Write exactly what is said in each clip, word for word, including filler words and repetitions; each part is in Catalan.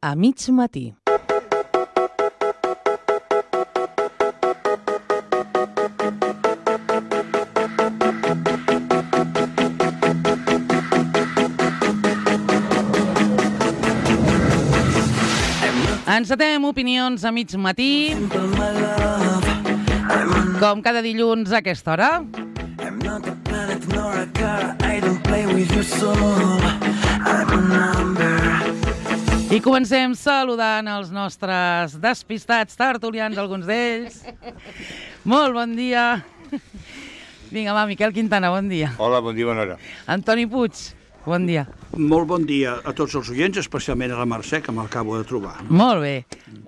a mig matí. Encetem opinions a mig matí, com cada dilluns a aquesta hora. I comencem saludant els nostres despistats tertulians, alguns d'ells. Molt bon dia. Vinga, va, Miquel Quintana, bon dia. Hola, bon dia, bona hora. Antoni Puig, bon dia. Molt bon dia a tots els oients, especialment a la Mercè, que m'acabo de trobar. Molt bé.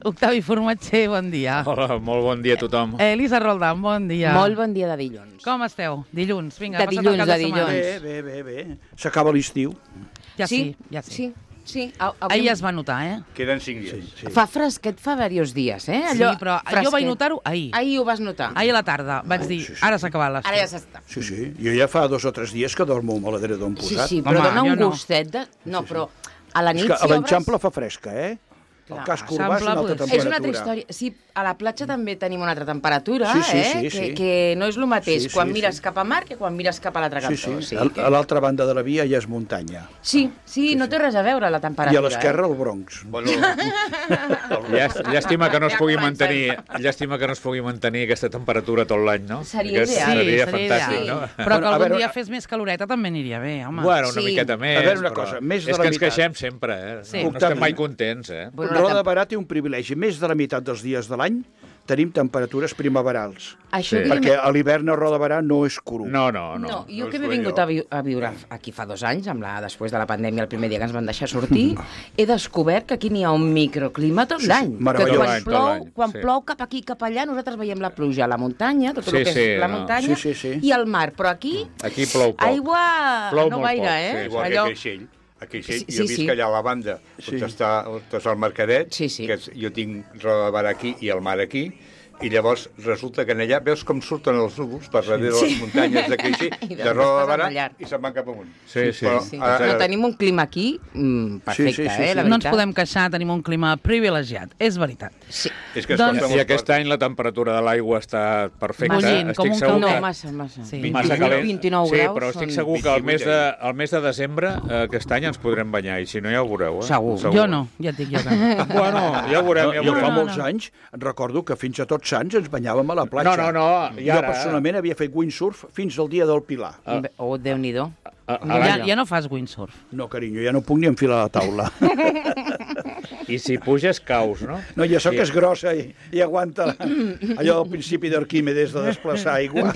Octavi Formatger, bon dia. Hola, molt bon dia a tothom. Elisa Roldán, bon dia. Molt bon dia de dilluns. Com esteu? Dilluns, vinga. De dilluns, de dilluns. Bé, bé, bé, bé. S'acaba l'estiu. Ja sí, ja sí. Sí, sí. A, Ahir ja es va notar, eh? Queden cinc dies. Sí, sí. Fa fresquet, fa diversos dies, eh? Allò, sí, però fresquet. Jo vaig notar-ho ahir. Ahir ho vas notar. Ahir a la tarda. Vaig dir, sí, sí. Ara s'ha acabat l'estiu. Ara ja s'està. Sí, sí. Jo ja fa dos o tres dies que dormo amb l'edredor Sí, posat. sí, però Home, dona jo un no. gustet de... No, però a la És nit que a si l'Enxample obres... fa fresca, eh? El Clar, casc urbà és Eixample, una altra pues, temperatura. És una altra història. Sí, a la platja també tenim una altra temperatura, Sí, sí, eh? sí, que, sí. que no és el mateix Sí, sí, quan sí. mires cap a mar que quan mires cap a l'altre Sí, cantó. sí. A a l'altra banda de la via ja és muntanya. Sí, sí, no té res a veure la temperatura. I a l'esquerra el Bronx. Bueno, Llàst- Llàstima que no es Ja pugui comença mantenir, llàstima que no es pugui mantenir aquesta temperatura tot l'any, no? Seria Que ideal. Sí, Seria seria fantàstic, ideal. no? Però que Bueno, a algun veure, dia una- fes més caloreta també aniria bé, home. Bueno, una Sí. miqueta més. A veure una però cosa, més de és la que ens meitat. queixem sempre, eh? Sí. No estem mai contents, eh? Bueno, la Roda de temp- Barà té un privilegi. Més de la meitat dels dies de l'any tenim temperatures primaverals. Això Sí. que Perquè a l'hivern a Roda de Barà no és cru. No, no, no. No, jo no que és m'he bo vingut allò. a, vi a viure aquí fa dos anys, amb la, després de la pandèmia, el primer dia que ens van deixar sortir, he descobert que aquí n'hi ha un microclima tot Sí, sí, l'any. Que meravellós. quan Tot l'any, tot plou, l'any, quan sí. plou cap aquí, cap allà, nosaltres veiem la pluja a la muntanya, tot Sí, el que sí, és la no. muntanya, Sí, sí, sí. i el mar. Però aquí, Aquí plou poc. aigua Plou no molt gaire, poc, eh? sí. igual Allò... que a Creixell. A Creixell, Sí, jo sí, visc sí. allà a la banda, Sí. on està, on està el Mercadet, Sí, sí. que és, jo tinc Roda de Barà aquí i el mar aquí, i llavors resulta que en allà veus com surten els núvols per darrere de les muntanyes de Creixell, I de després Roda de passen Barà, allà. i se'n van cap amunt. Sí, sí. Però, Sí. ara- No, tenim un clima aquí mm, perfecte, Sí, sí, sí, eh? sí. La No ens veritat. podem queixar, tenim un clima privilegiat, és veritat. Sí. És que es Doncs- costa I molt aquest fort. any la temperatura de l'aigua està perfecta. Bullint, com Estic un segur No, que... calder. massa, massa. Sí. Massa calent. vint-i-nou sí, graus però estic són- segur que el mes, de, vint-i-vuit el mes de desembre eh, aquest any ens podrem banyar, i si no ja ho veureu. Eh? Segur. Jo no, ja et dic jo que no. Bueno, ja ho veurem, ja ho Jo veurem. fa no, molts no. anys recordo que fins a Tots Sants ens banyàvem a la platja. No, no, no, i Jo ara- personalment havia fet windsurf fins al dia del Pilar. Ah. Oh, Déu-n'hi-do. A, a Ja, l'any- ja no fas windsurf. No, carinyo, ja no puc ni enfilar la taula. I si puges, caus, no? No, ja sóc I- que és grossa i, i aguanta allò del principi d'Arquímedes de desplaçar aigua.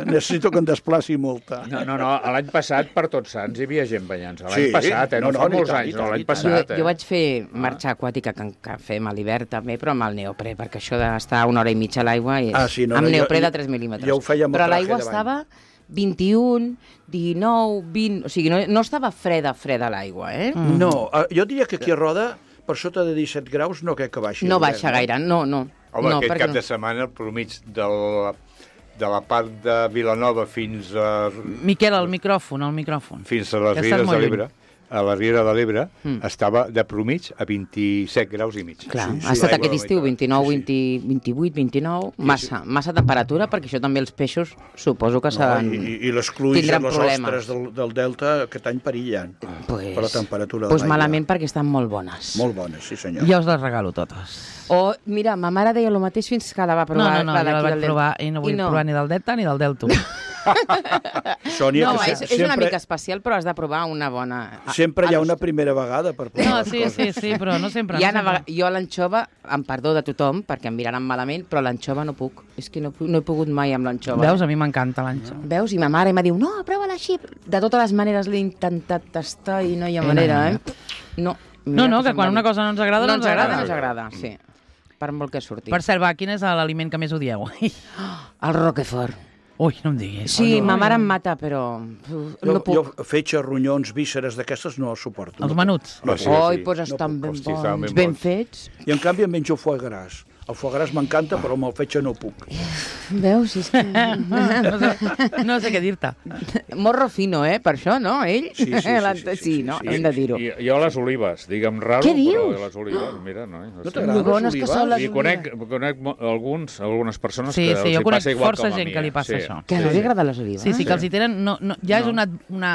Necessito que em desplaci molta. No, no, no, l'any passat per Tots Sants hi havia gent banyant-se. L'any Sí? passat, eh? No, No, fa no, i molts tant, anys, i no, tant, l'any i tant. Jo, passat. Eh? jo vaig fer marxa aquàtica que, que fem a l'hivern també, però amb el neoprè, perquè això d'estar una hora i mitja a l'aigua és Ah, sí, no, amb no, jo- neoprè jo- de tres mil·límetres. jo ho feia amb el però traje l'aigua de bany. estava vint-i-un, dinou, vint... O sigui, no, no estava freda, freda l'aigua, eh? Mm. No, eh, jo diria que aquí a Roda, per sota de disset graus, no crec que baixi. No l'hivern, baixa gaire, no, no. Home, no, aquest perquè cap no. de setmana, el promig de la, de la part de Vilanova fins a, Miquel, el micròfon, el micròfon. fins a les Que estàs Rieres molt de lluny. l'Ebre, a la Riera de l'Ebre, Mm. estava de promig a vint-i-set graus i mig. Clar, Sí, sí, ha estat l'aigua aquest de estiu meitat. vint-i-nou, Sí, sí. vint, vint-i-vuit, vint-i-nou, massa, massa temperatura, perquè això també els peixos suposo que No, seran... i, I les cluïs i tindran les problemes. ostres del, del delta aquest any perillen Pues, per la temperatura de pues l'aigua. malament perquè estan molt bones. Molt bones, sí senyor. Jo us les regalo totes. O, mira, ma mare deia el mateix fins que la va No, provar. no, no, la jo la d'aquí vaig del Delta. provar i no vull provar ni del Delta ni del Delta. Sònia, No, que és, se- és una sempre, mica especial, però has de provar una bona... sempre hi ha Ah, una primera vegada per provar No, les sí, coses. sí, sí, però no sempre. Hi ha no una, sempre. vega- jo a l'anxova, amb perdó de tothom, perquè em miraran malament, però l'anxova no puc. És que no, pu- no he pogut mai amb l'anxova. Veus, a mi m'encanta l'anxa. Veus? I ma mare em diu, no, prova-la així. De totes les maneres l'he intentat tastar i no hi ha manera, eh? No, No, no, que se'm quan va una dir. cosa no ens agrada, no no ens agrada. No ens agrada, sí. Per molt que surti. Per cert, va, quin és l'aliment que més odieu? El Roquefort. Ui, no em diguis. Sí, Ui, ma ui, mare ui. em mata, però uf, Jo, no puc. jo fetges, ronyons, vísceres d'aquestes no els suporto. Els no menuts. No, sí, Oi, sí. doncs No estan puc, ben hosti, estaven bons, ben ben bons. fets. puc. I en canvi em menjo foie gras. El foie gras m'encanta, però amb el fetge no puc. Veus? És que... no, sé, no sé què dir-te. Morro fino, eh? Per això, no? Ell? Sí, sí, sí, sí, sí, sí, no? sí, sí. Hem de dir-ho. I, jo les olives, digue'm raro, Què però dius? les olives, mira, no? No No t'agraden Lo bones les que són les I conec, conec mo- alguns, algunes persones Sí, que sí, els jo hi conec passa igual força com a gent mi. que li passa sí. això. Que no li agraden les olives? Sí, sí, que els hi tenen... No, no, ja és una, una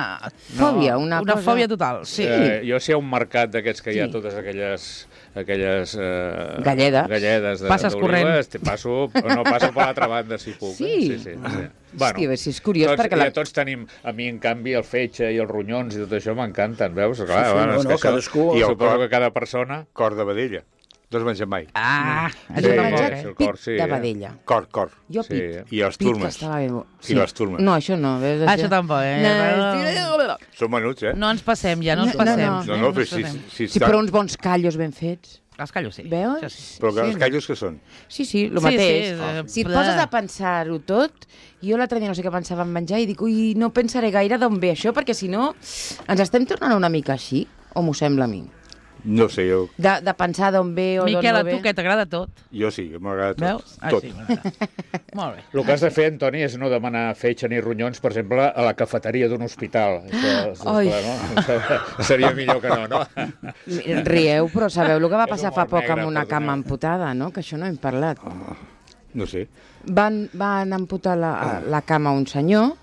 Fòbia, una, una cosa... fòbia total. Sí. Eh, jo sé un mercat d'aquests que hi ha Sí. totes aquelles aquelles eh, Galledes. galledes de, Passes corrent. d'olives, te passo, no passo per l'altra banda si puc. Sí? Eh? Sí, sí, sí. Hòstia, a veure si és curiós, tots, perquè la- ja tots tenim, a mi en canvi el fetge i els ronyons i tot això m'encanten, veus? Clar, sí, bueno, no, és no, que això, cadascú- I I el suposo cor- que cada persona... Cor de vedella. No has menjat mai. Ah, Jo això he tampoc, menjat el eh? pit cor, sí, de eh? vedella. Cor, cor. Jo Sí. pit. I les Pit que turmes. estava bé. I les turmes. No, això no. Veus, Això tampoc, eh? No, Són menuts, eh? No ens passem ja, no ens No, no, passem. no. No, no, ens però si, passem. si, sí, però uns bons callos ben fets. Els callos, sí. Veus? Això sí. Però que Sí. els callos que són? Sí, sí, el Sí, mateix. sí, eh, si et ple. poses a pensar-ho tot, jo l'altre dia no sé què pensava en menjar i dic, ui, no pensaré gaire d'on ve això, perquè si no ens estem tornant una mica així, o m'ho sembla a mi? No sé, jo, De, de pensar d'on ve o d'on Miquel, no a ve. tu que t'agrada tot. jo sí, m'agrada tot. Veus? Ah, tot. sí, m'agrada. Molt bé. El que has de fer, Antoni, és no demanar fetge ni ronyons, per exemple, a la cafeteria d'un hospital. Això, això, Ai. clar, no? Seria millor que no, no? Rieu, però sabeu el que va És passar humor fa poc negre, amb una cama perdoneu. amputada, no? Que això no hem parlat. No sé. Van, van amputar la, la cama a un senyor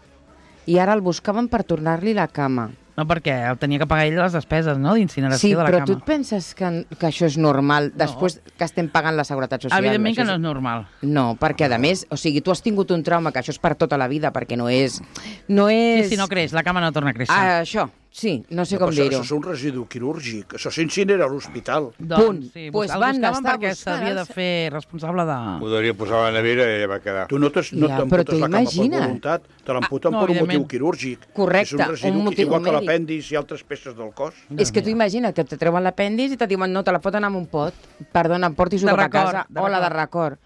i ara el buscaven per tornar-li la cama. No, perquè tenia que pagar ell les despeses, no?, d'incineració Sí, de la però cama. tu et penses que, que això és normal després que estem pagant la Seguretat Social? Evidentment que Això no és- és normal. No, perquè a més, o sigui, tu has tingut un trauma, que això és per tota la vida, perquè no és... No Sí, és... si no creix, la cama no torna a créixer. Ah, això, sí, no sé No, com però això, dir-ho. això és un residu quirúrgic. Això s'incinera a l'hospital. Doncs, punt. sí, Pues el van buscaven estar perquè buscant s'havia de els- fer responsable de... Ho devia posar a la nevera i ja va quedar. Tu no t'es- no Ja, t'amputes però tu la cama per imagina't. voluntat, te l'amputen Ah, no, per un evidentment. motiu quirúrgic. Correcte, És un residu, un motiu igual que mèdic. l'apèndix i altres peces del cos. És que tu imagina't que te treuen l'apèndix i te diuen no, te la foten amb un pot. Perdona, portis-ho De cap a record, casa. de Hola, de record. record.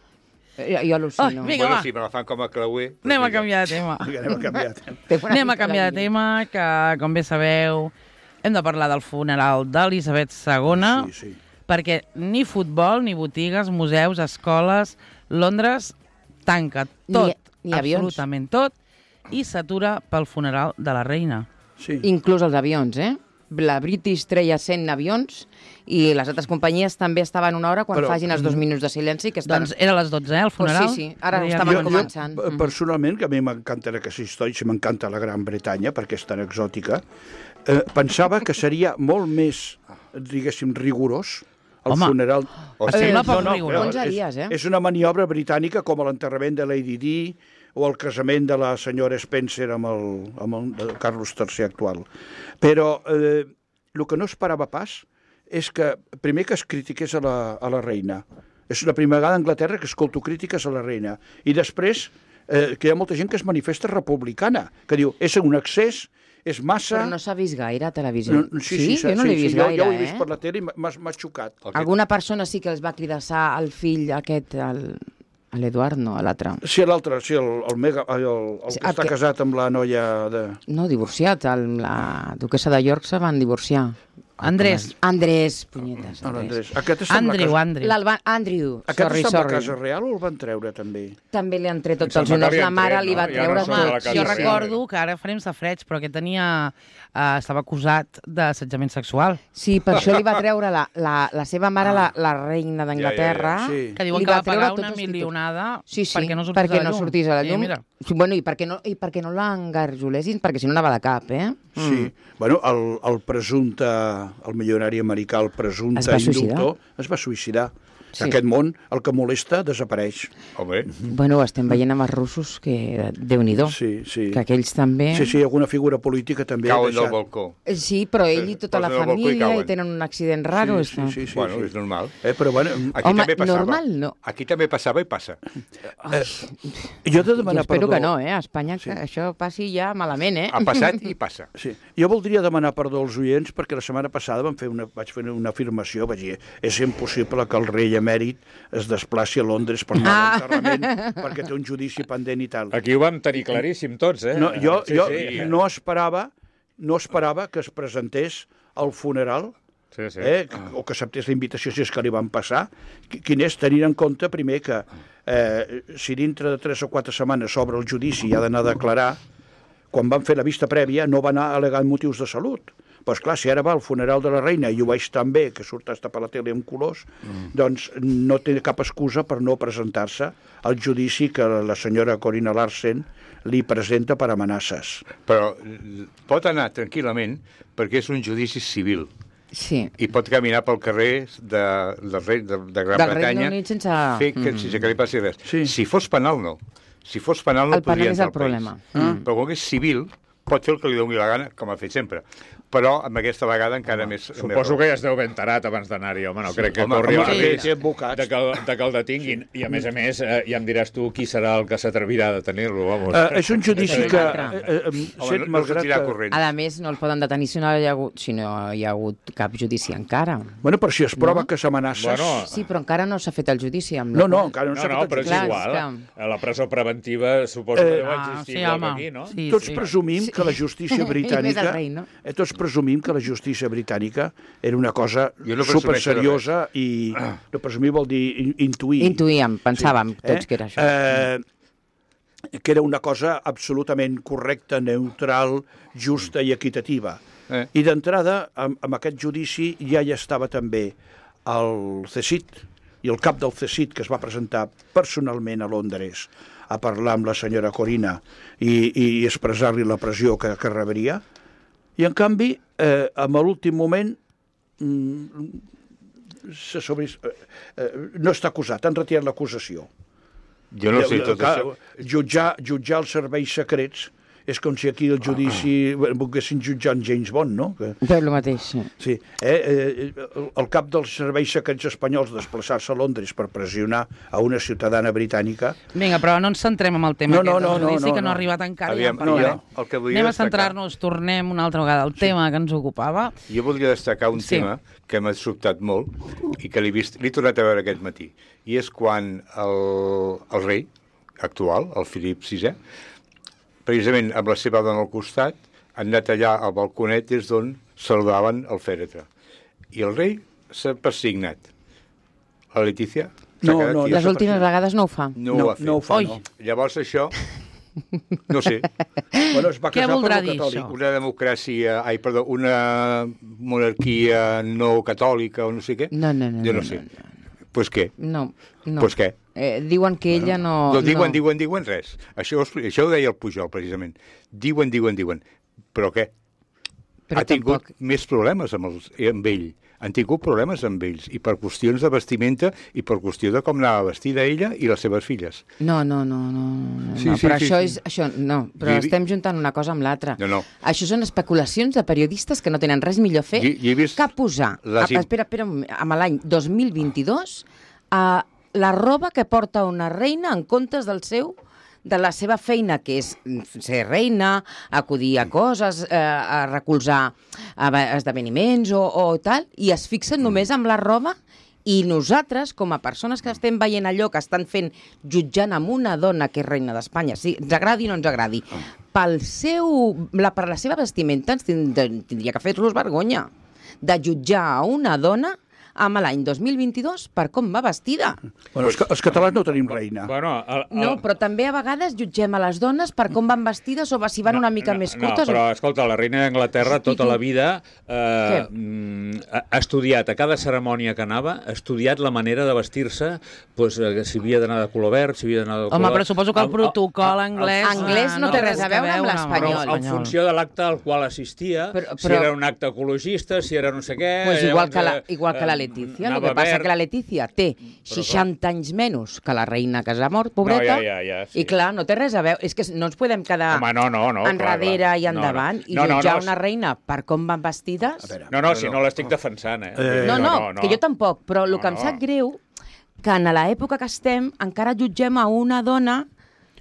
Jo, jo al·lucino. Ai, vinga, Bueno, va. si me la fan com a creuer... Anem a doncs canviar de tema. Vinga, anem a canviar. Té una Anem a mica canviar la de línia. tema, que, com bé sabeu, hem de parlar del funeral d'Elisabet segona, Sí, sí. perquè ni futbol, ni botigues, museus, escoles, Londres tanca tot, Ni- ni avions. absolutament tot, i s'atura pel funeral de la reina. Sí. Inclús els avions, eh? La British treia cent avions i les altres companyies també estaven una hora quan Però- facin els dos minuts de silenci que estan... Doncs era a les dotze, eh, el funeral? sí, sí, ara Deien- estaven Jo, començant. jo, Mhm. personalment, que a mi m'encanta aquesta història, si m'encanta la Gran Bretanya, perquè és tan exòtica, eh, pensava que seria molt més, diguéssim, rigorós el Home, funeral... o Eh, sigui, sembla poc rigorós. clar, onze és- dies, eh? És una maniobra britànica com l'enterrament de Lady Di o el casament de la senyora Spencer amb el, amb el de Carlos tercer actual. Però eh, el que no esperava pas és que, primer, que es critiqués a la, a la reina. És la primera vegada a Anglaterra que escolto crítiques a la reina. I després, eh, que hi ha molta gent que es manifesta republicana, que diu, és un excés, és massa... Però no s'ha vist gaire a televisió. No, sí, sí, jo no l'he vist sí, jo, gaire, jo ho he vist eh? per la tele i m'ha m'ha xocat. El que- Alguna persona sí que els va cridassar al fill aquest, el- a l'Eduard, no, a l'altre. Sí, l'altre, sí, el, el, mega, el, el Sí, que el està que- casat amb la noia de... No, divorciat, el, la duquesa de York se van divorciar. Andrés. Andrés, punyetes, No, Andrés. Andrés. Aquest està amb la Andrew, casa... Andrew. L'Alba, Andrew, Aquest sorry, està amb la sorry. Casa Real o el van treure, també? També li han tret tots Em els sembla que honors. li La han mare tret, li va no? Ja no treure són de la tot. casa Jo Real. recordo que ara farem safreig, però que tenia... Eh, estava acusat d'assetjament sexual. Sí, per això li va treure la, la, la seva mare, la, la reina d'Anglaterra. Ja, ja, ja, sí. Que diuen li que va treure pagar tots una els títols. milionada Sí, sí, perquè no sortís perquè a la no llum. sortís a la I llum. mira. Sí, bueno, i perquè no, i perquè no l'engarjolessin, perquè si no anava de cap, eh? Sí. Bueno, el, el presumpte, el milionari americà, el presumpte Es va suïcidar. inductor, es va suïcidar. Sí. Aquest món, el que molesta, desapareix. Home, Bueno, ho estem veient amb els russos, que Déu-n'hi-do, Sí, sí. que aquells també... Sí, sí, alguna figura política també ha cauen del deixat. balcó. Eh, Sí, però ell i tota la Posen al balcó i família i cauen. tenen un accident raro. Sí, està. sí, sí, sí, Bueno, sí. és normal. Eh, però bueno, Aquí Home, també passava. normal no. Aquí també passava i passa. jo he de Jo demanar espero perdó. que no, eh? A Espanya que això passi ja malament, eh? Ha passat i passa. Sí. Jo voldria demanar perdó als oients perquè la setmana passada vam fer una, vaig fer una afirmació, vaig dir, és impossible que el rei emèrit es desplaci a Londres per anar Ah. a l'enterrament perquè té un judici pendent i tal. Aquí ho vam tenir claríssim tots, eh? No, jo Sí, jo sí. no esperava no esperava que es presentés al funeral Sí, sí. Eh? O que acceptés la invitació si és que li van passar. Quin és tenir en compte, primer, que eh, si dintre de tres o quatre setmanes s'obre el judici i ha d'anar a declarar, quan van fer la vista prèvia no va anar al·legant motius de salut. Però, esclar, si ara va al funeral de la reina i ho veig tan bé, que surt hasta per la tele amb colors, mm. doncs no té cap excusa per no presentar-se al judici que la senyora Corina Larsen li presenta per amenaces. Però pot anar tranquil·lament perquè és un judici civil. Sí. I pot caminar pel carrer de, de, de, de Gran Del Bretanya Regne Unit sense... fer que, Mm. sense que li passi res. Sí. Si fos penal, no. Si fos penal, no El penal podria és entrar el al país. problema. Mm. Però com que és civil, pot fer el que li doni la gana, com ha fet sempre. Però amb aquesta vegada encara més... Suposo que ja es deu ben tarat abans d'anar-hi, home, no sí, crec que home, corri home, el sí, risc sí, advocats. de, que el, de que el detinguin. I a més a més, eh, ja em diràs tu qui serà el que s'atrevirà a detenir-lo, vamos. Uh, és un judici que... Home, Eh, eh, Home, sent, no, no malgrat sortirà que... corrent. A més, no el poden detenir si no hi ha hagut, si no hi ha hagut cap judici encara. Bueno, però si es prova No? que s'amenaces... Bueno, Sí, però encara no s'ha fet el judici. Amb No, la- no, encara no No, s'ha no, fet però el és Clar, judici. igual. és que- A la presó preventiva suposo que Eh, deu ah, existir sí, igual home. que aquí, no? Sí, Tots sí. presumim que la justícia I més britànica... el rei, no? eh, tots presumim que la justícia britànica era una cosa Jo no presumeixo superseriosa i... No presumir vol dir in- intuir. Intuïem, pensàvem tots que era això. Eh, que era una cosa absolutament correcta, neutral, justa i equitativa. Eh. I d'entrada, amb, amb aquest judici ja hi estava també el C S I T i el cap del C S I T, que es va presentar personalment a Londres a parlar amb la senyora Corina i, i expressar-li la pressió que, que rebria. I, en canvi, eh, en l'últim moment, mm, se sobre, eh, eh, no està acusat, han retirat l'acusació. Jo no sé tot Clar, això. Jutjar, jutjar els serveis secrets és com si aquí el judici ah. volguessin jutjar en James Bond, no? Que, Però el mateix, sí. sí, eh, eh, el cap dels serveis secrets espanyols desplaçar-se a Londres per pressionar a una ciutadana britànica... Vinga, però no ens centrem en el tema No, no, aquest no, del judici, no, no, que no no. ha arribat encara. Aviam, ja en no, parlarem. jo el que volia Anem a destacar- centrar-nos, tornem una altra vegada al tema que ens ocupava. Jo voldria destacar un Sí. tema que m'ha sobtat molt i que l'he vist, l'he tornat a veure aquest matí. I és quan el, el rei actual, el Felip sisè, precisament amb la seva dona al costat, han anat allà al balconet des d'on saludaven el fèretre. I el rei s'ha persignat. La Letícia s'ha No, quedat no, quieta. Les últimes vegades no ho fa. No, no, ho ha fet. no ho fa, Oi. no. Llavors això, no sé, Bueno, es va Què casar per voldrà lo dir catòlic. això? una democràcia, ai, perdó, una monarquia no catòlica o no sé què. No, no, no. Jo no, no, sé. no, Pues què? No, no. Pues què? Eh, diuen que ella no... No, diuen, no. diuen, diuen res. Això, ho expli- això ho deia el Pujol, precisament. Diuen, diuen, diuen. Però què? Però ha tingut tampoc- més problemes amb, els, amb ell. Han tingut problemes amb ells, i per qüestions de vestimenta i per qüestió de com anava vestida ella i les seves filles. No, no, no, no, no, Sí, no. sí, però sí, això sí. és... Això, no, però Jo he vi- estem juntant una cosa amb l'altra. No, no. Això són especulacions de periodistes que no tenen res millor a fer Jo- jo he vist que posar... les Ah, im- espera, espera, un moment, amb l'any dos mil vint-i-dos, a la roba que porta una reina en comptes del seu de la seva feina, que és ser reina, acudir a coses, eh, a recolzar a esdeveniments o, o tal, i es fixen només amb la roba, i nosaltres, com a persones que estem veient allò que estan fent, jutjant amb una dona que és reina d'Espanya, si ens agradi o no ens agradi, pel seu, la, per la seva vestimenta ens tind- tindria que fer-los vergonya de jutjar a una dona amb l'any dos mil vint-i-dos per com va vestida. Bueno, els, ca- els catalans no tenim reina. Bueno, el, el... No, però també a vegades jutgem a les dones per com van vestides o si van una mica més curtes. No, però escolta, la reina d'Anglaterra tota la vida eh, Què? mm, ha ha estudiat, a cada cerimònia que anava, ha estudiat la manera de vestir-se, pues, eh, si havia d'anar de color verd, si havia d'anar de color... Home, però suposo que el Amb- protocol amb- anglès... Anglès no té res a veure amb l'espanyol. Però en funció de l'acte al qual assistia, Però- si però- era un acte ecologista, si era no sé què... Pues igual, que la, llavors, igual que la eh, Letícia. El anava que passa verd. que la Letícia té seixanta anys menys que la reina que s'ha mort, pobreta, No, ja, ja, ja, sí. i clar, no té res a veure. És que no ens podem quedar Home, no, no, no, clar, enrere clar. i No, no. endavant i No, no, jutjar no, una reina per com van vestides. No, no, si no l'estic defensant, eh? Eh, No, no, que jo tampoc, però el No, que em no. sap greu que en l'època que estem encara jutgem a una dona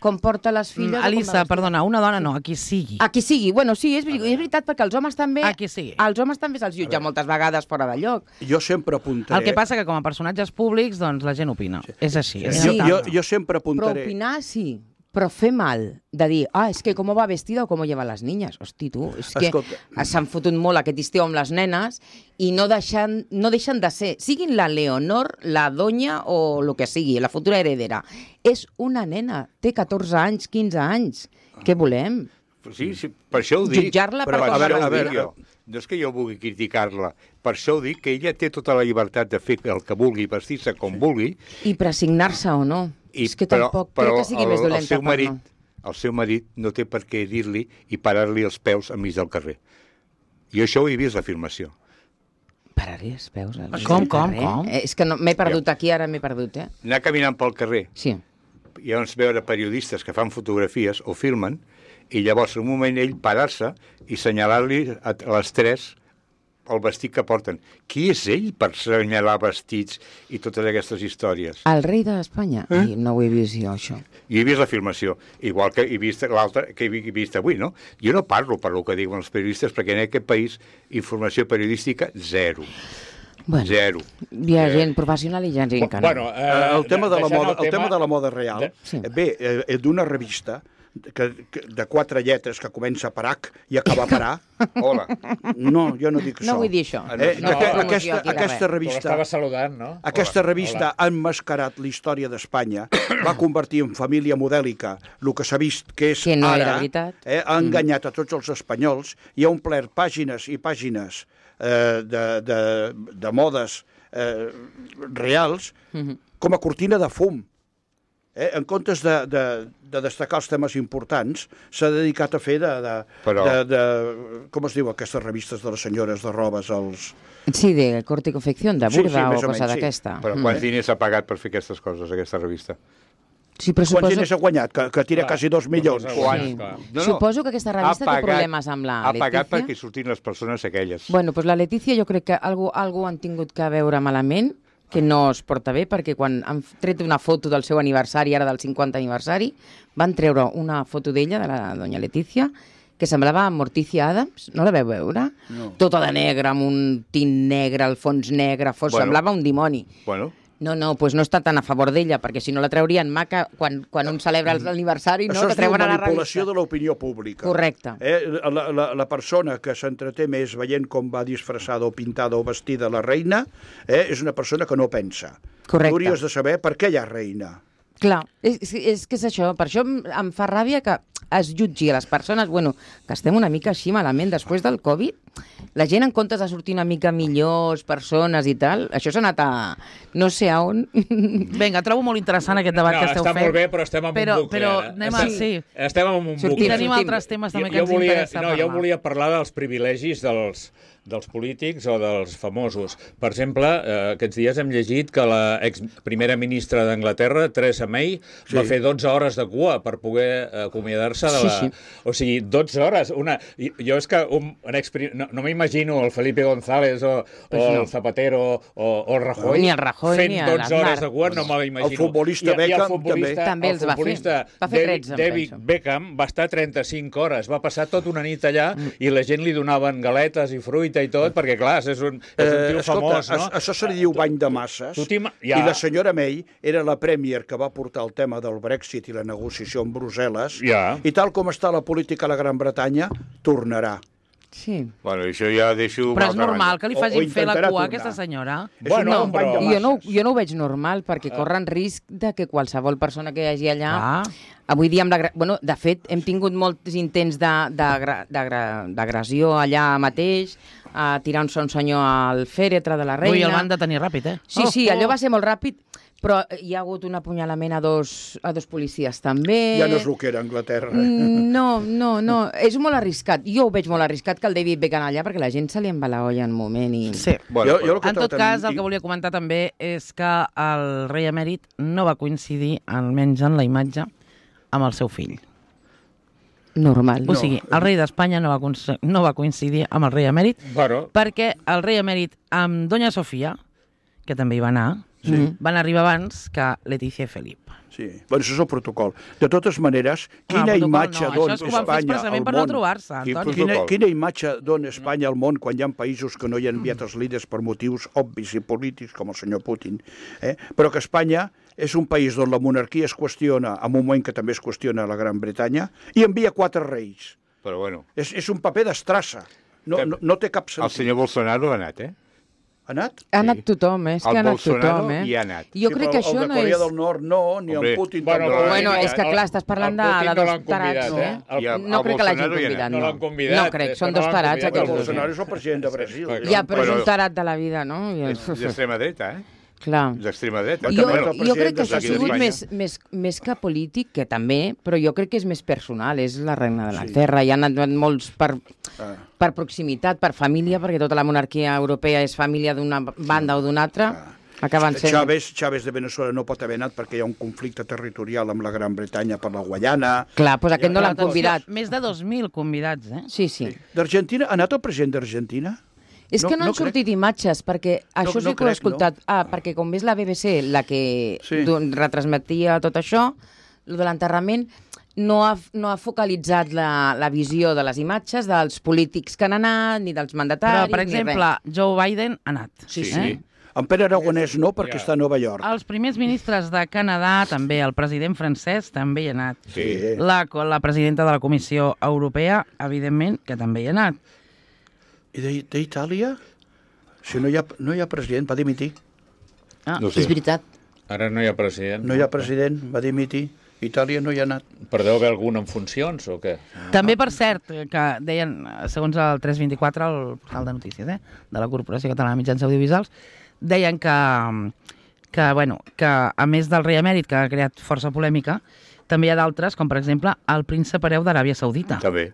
com porta les filles... o com va Alissa, vestida. perdona, una dona no, a qui sigui. A qui sigui. Bueno, sí, és, és veritat, perquè els homes també... A qui sigui. Els homes també se'ls jutja moltes vegades fora de lloc. Jo sempre apuntaré... El que passa que com a personatges públics, doncs la gent opina. És així. És Jo, inevitable. jo, jo sempre Però apuntaré... opinar, sí. però fer mal, de dir, ah, és que com va vestida o com lleva les niñas. Hosti, tu, és que Escolta. s'han fotut molt aquest estiu amb les nenes i no deixen, no deixen de ser, siguin la Leonor, la Doña o el que sigui, la futura heredera. És una nena, té catorze anys, quinze anys. Què volem? Sí, sí, per això ho dic. Jutjar-la per Però, com a veure, va a veure, vestida. jo. No és que jo vulgui criticar-la, per això ho dic, que ella té tota la llibertat de fer el que vulgui, vestir-se com vulgui. I presignar-se o no. I, és que però, tampoc però crec que sigui el, més dolenta el seu per marit, no. el seu marit no té per què dir-li i parar-li els peus enmig del carrer. Jo això ho he vist, l'afirmació. Parar-hi els peus. al mig Com, del com, carrer. com? Eh, És que no, m'he perdut aquí, ara m'he perdut, eh? Anar caminant pel carrer Sí. i llavors veure periodistes que fan fotografies o filmen i llavors en un moment ell parar-se i assenyalar-li a a les tres el vestit que porten. Qui és ell per assenyalar vestits i totes aquestes històries? El rei d'Espanya? Eh? Ai, no ho he vist jo, això. Jo he vist la filmació, igual que he vist l'altra que he vist avui, no? Jo no parlo per el que diuen els periodistes, perquè en aquest país informació periodística, zero. Bueno, Zero. hi ha Eh, gent professional i gent que no. Bueno, Eh, el, tema de la deixant moda, el tema de la moda real de- Sí. eh, ve eh, d'una revista que, que, de quatre lletres que comença per H i acaba per A. Hola. No, jo no dic això. No vull dir això. Eh, No, no, promoció aquesta, aquí de aquesta res. Tu revista... l'estava saludant, no? Aquesta Hola. revista ha emmascarat la història d'Espanya, va convertir en família modèlica el que s'ha vist que és Que no ara, era veritat. eh, ha enganyat a tots els espanyols i ha omplert pàgines i pàgines eh, de, de, de modes eh, reals com a cortina de fum. Eh, en comptes de, de, de destacar els temes importants, s'ha dedicat a fer de, de, Però- de, de... Com es diu aquestes revistes de les senyores de robes? Els... Sí, de corte y confección, de Sí, burda sí, més o o cosa menys, sí. d'aquesta. Però quants diners ha pagat per fer aquestes coses, aquesta revista? Sí, però Quants suposo... diners ha guanyat? Que, que tira Clar, quasi dos milions. doncs, Quan? Sí. clar. Suposo que aquesta revista té problemes amb la Ha pagat Letícia. perquè surtin les persones aquelles. Bueno, doncs la Letícia jo crec que algú, algú han tingut que veure malament, que no es porta bé, perquè quan han tret una foto del seu aniversari, ara del cinquanta aniversari, van treure una foto d'ella, de la doña Letícia, que semblava Morticia Adams, no la veu veure? No. Tota de negre, amb un tint negre, el fons negre, fos, Bueno. semblava un dimoni. Bueno, No, no, doncs no està tan a favor d'ella, perquè si no la traurien maca quan, quan un celebra l'aniversari, no, Això que es diu treuen a la manipulació revista. de l'opinió pública. Correcte. Eh, la, la, la persona que s'entreté més veient com va disfressada o pintada o vestida la reina eh, és una persona que no pensa. Correcte. Tu hauries de saber per què hi ha reina. Clar, és, és que és això, per això em, em fa ràbia que es jutgi a les persones, bueno, que estem una mica així malament després del Covid, la gent en comptes de sortir una mica millors persones i tal, això s'ha anat a no sé a on. Vinga, trobo molt interessant aquest debat No, que esteu està fent. molt bé, però estem en però, un bucle, Però ara. anem a... Estem- Sí. Estem en un Sortim, I bucle. tenim sortim. altres temes també Jo, que jo ens volia, interessa no, parlar. jo volia parlar dels privilegis dels, dels polítics o dels famosos. Per exemple, eh, aquests dies hem llegit que la ex primera ministra d'Anglaterra, Theresa May, sí. va fer dotze hores de cua per poder eh, acomiadar-se de Sí, la... sí. O sigui, dotze hores. Una... I- Jo és que un, un ex... no, no m'imagino el Felipe González o, Pues o no. el Zapatero o, o el Rajoy, Ni el Rajoy, fent ni el dotze hores Aznar. de cua, no me l'imagino. El futbolista I, i el Beckham futbolista, també el els va fer. futbolista Va fer David, tretze, em David penso. Beckham va estar trenta-cinc hores, va passar tota una nit allà Mm. i la gent li donaven galetes i fruita i tot, perquè clar, és un, és un tio Eh, escolta, famós, no? a- això se li diu bany de masses Tu t'ima- i ja. la senyora May era la premier que va portar el tema del Brexit i la negociació amb Brussel·les Ja. i tal com està la política a la Gran Bretanya, tornarà. Sí. bueno, això ja deixo... Però és una altra normal banda. que li O- o facin fer la intentarà cua a tornar. aquesta senyora. És Bueno, un bany però- de Jo no, masses. jo no ho veig normal, perquè corren risc de que qualsevol persona que hi hagi allà... Ah. Avui dia, amb la, gra- bueno, de fet, hem tingut molts intents de- d'agra- d'agra- d'agressió allà mateix, a tirar-se un senyor al fèretre de la reina... Ui, el van detenir ràpid, eh? Sí, sí, allò va ser molt ràpid, però hi ha hagut un apunyalament a dos, a dos policies també. Ja no és el que era a Anglaterra. Mm, No, no, no, és molt arriscat. Jo ho veig molt arriscat que el David Beckham allà, perquè la gent se li en va la olla en un moment i... Sí. Bueno, Jo- jo però- el que En tot tracten- cas, el que volia comentar també és que el rei emèrit no va coincidir, almenys en la imatge, amb el seu fill. Normal. O sigui, el rei d'Espanya no, va cons- no va coincidir amb el rei emèrit Bueno, perquè el rei emèrit amb Doña Sofia, que també hi va anar, sí. van arribar abans que Letícia i Felip. Sí, bueno, això és el protocol. De totes maneres, quina el protocol imatge no, dona això és que ho van fer Espanya expressament al per no món? trobar-se, Quin Antoni. Quina, protocol? quina imatge dona Espanya al món quan hi ha països que no hi ha enviat els líders per motius obvis i polítics, com el senyor Putin, eh? però que Espanya és un país on la monarquia es qüestiona en un moment que també es qüestiona a la Gran Bretanya i envia quatre reis. Però bueno... És, és un paper d'estrassa. No, no, no té cap sentit. El senyor Bolsonaro ha anat, eh? Ha anat? Ha anat tothom, eh? És que El ha anat Bolsonaro tothom, eh? hi ha anat. Jo Sí, crec però que això el de no Corea és... del Nord no, ni Hombre, en Putin bueno, tampoc. Bueno, El- és que clar, estàs parlant de, el Putin de no dos l'han tarats, convidat, eh? eh? I el- No el crec que l'hagin Bolsonaro hi ha convidat, anat. No no. l'han convidat, No crec, és són que no dos l'han tarats convidat, aquests El dos. Bolsonaro eh? és el president de Brasil. Ja, però és Però- un tarat de la vida, no? I És d'extrema dreta, eh? Clar. D'extrema dreta. Jo, també el jo crec president que això ha d'aquí sigut d'Espanya. més, més, més que polític, que també, però jo crec que és més personal, és la reina de l'Anglaterra. Hi han anat molts per, Ah. per proximitat, per família, perquè tota la monarquia europea és família d'una banda o d'una altra. Acaben sent... Chávez, Chávez de Venezuela no pot haver anat perquè hi ha un conflicte territorial amb la Gran Bretanya per la Guaiana. Clar, doncs aquest no l'han Atenció, convidat. Més de dos mil convidats, eh? Sí, sí. D'Argentina, ha anat el president d'Argentina? És No- que no, no han sortit imatges, perquè això no sí que ho he crec, escoltat. Ah, perquè com és la B B C la que Sí. sí. retransmetia tot això, lo de l'enterrament, no ha, no ha focalitzat la, la visió de les imatges dels polítics que han anat, ni dels Però, mandataris, per ni exemple, Joe Biden ha anat. Sí, Sí, sí. sí. En Pere Aragonès no, perquè està a Nova York. Els primers ministres de Canadà, també, el president francès també hi ha anat. Sí. La, la presidenta de la Comissió Europea, evidentment, que també hi ha anat. I d'I- d'Itàlia? Si no hi, ha, no hi ha president, va dimitir. Ah, No És sé. veritat. Ara no hi ha president. No hi ha president, va dimitir. Itàlia no hi ha anat. Però deu haver algun en funcions o què? També, per cert, que deien, segons el tres vint-i-quatre, el portal de notícies, eh, de la Corporació Catalana de Mitjans Audiovisuals, deien que, que, bueno, que a més del rei emèrit, que ha creat força polèmica, també hi ha d'altres, com per exemple el príncep hereu d'Aràbia Saudita, També.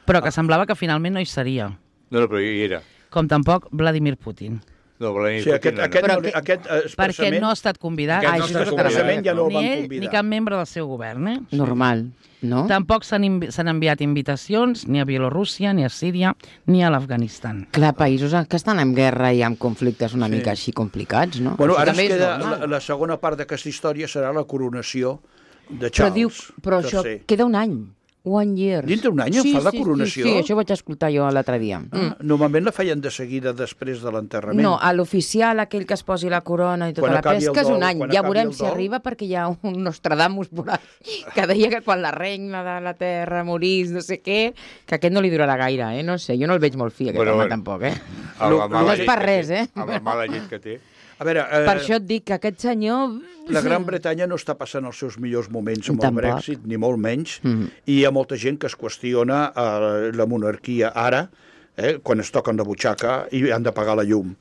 però que semblava que finalment no hi seria, No, no, però hi era. com tampoc Vladimir Putin, No, Vladimir Sí, aquest, Putin no ha aquest, anat. Però no, que- aquest eh, perquè expressament, no ha estat convidat, Aquest Ah, no això està és el que convidat. expressament ja no el ni van ell convidar. ni cap membre del seu govern, eh? Normal, no? Tampoc s'han invi- s'han enviat invitacions ni a Bielorússia, ni a Síria, ni a l'Afganistan. Clar, països que estan en guerra i amb conflictes una mica així complicats, no? Bueno, Això ara es també és queda, normal. la, la segona part d'aquesta història serà la coronació de Però Charles diu, però això tercer. queda un any. One year. Dintre un any en fa la coronació? Sí, sí, això ho vaig escoltar jo l'altre dia. Mm. Ah, normalment la feien de seguida després de l'enterrament. No, a l'oficial, aquell que es posi la corona i tota Quan la acabi el pesca, és dol, un any. quan Ja acabi veurem el si dol. arriba, perquè hi ha un Nostradamus por ahí que deia que quan la reina de la terra morís, no sé què, que aquest no li durarà gaire, eh? No sé, jo no el veig molt fi, aquest Bueno, home, bueno. tampoc, eh? Amb la mala No és llet per que res, té, eh? Amb la mala llet que té. A veure, eh, Per això et dic que aquest senyor... la Gran Bretanya no està passant els seus millors moments amb Tampoc. el Brexit, ni molt menys, Mhm. i hi ha molta gent que es qüestiona eh, la monarquia ara, eh, quan es toquen la butxaca i han de pagar la llum.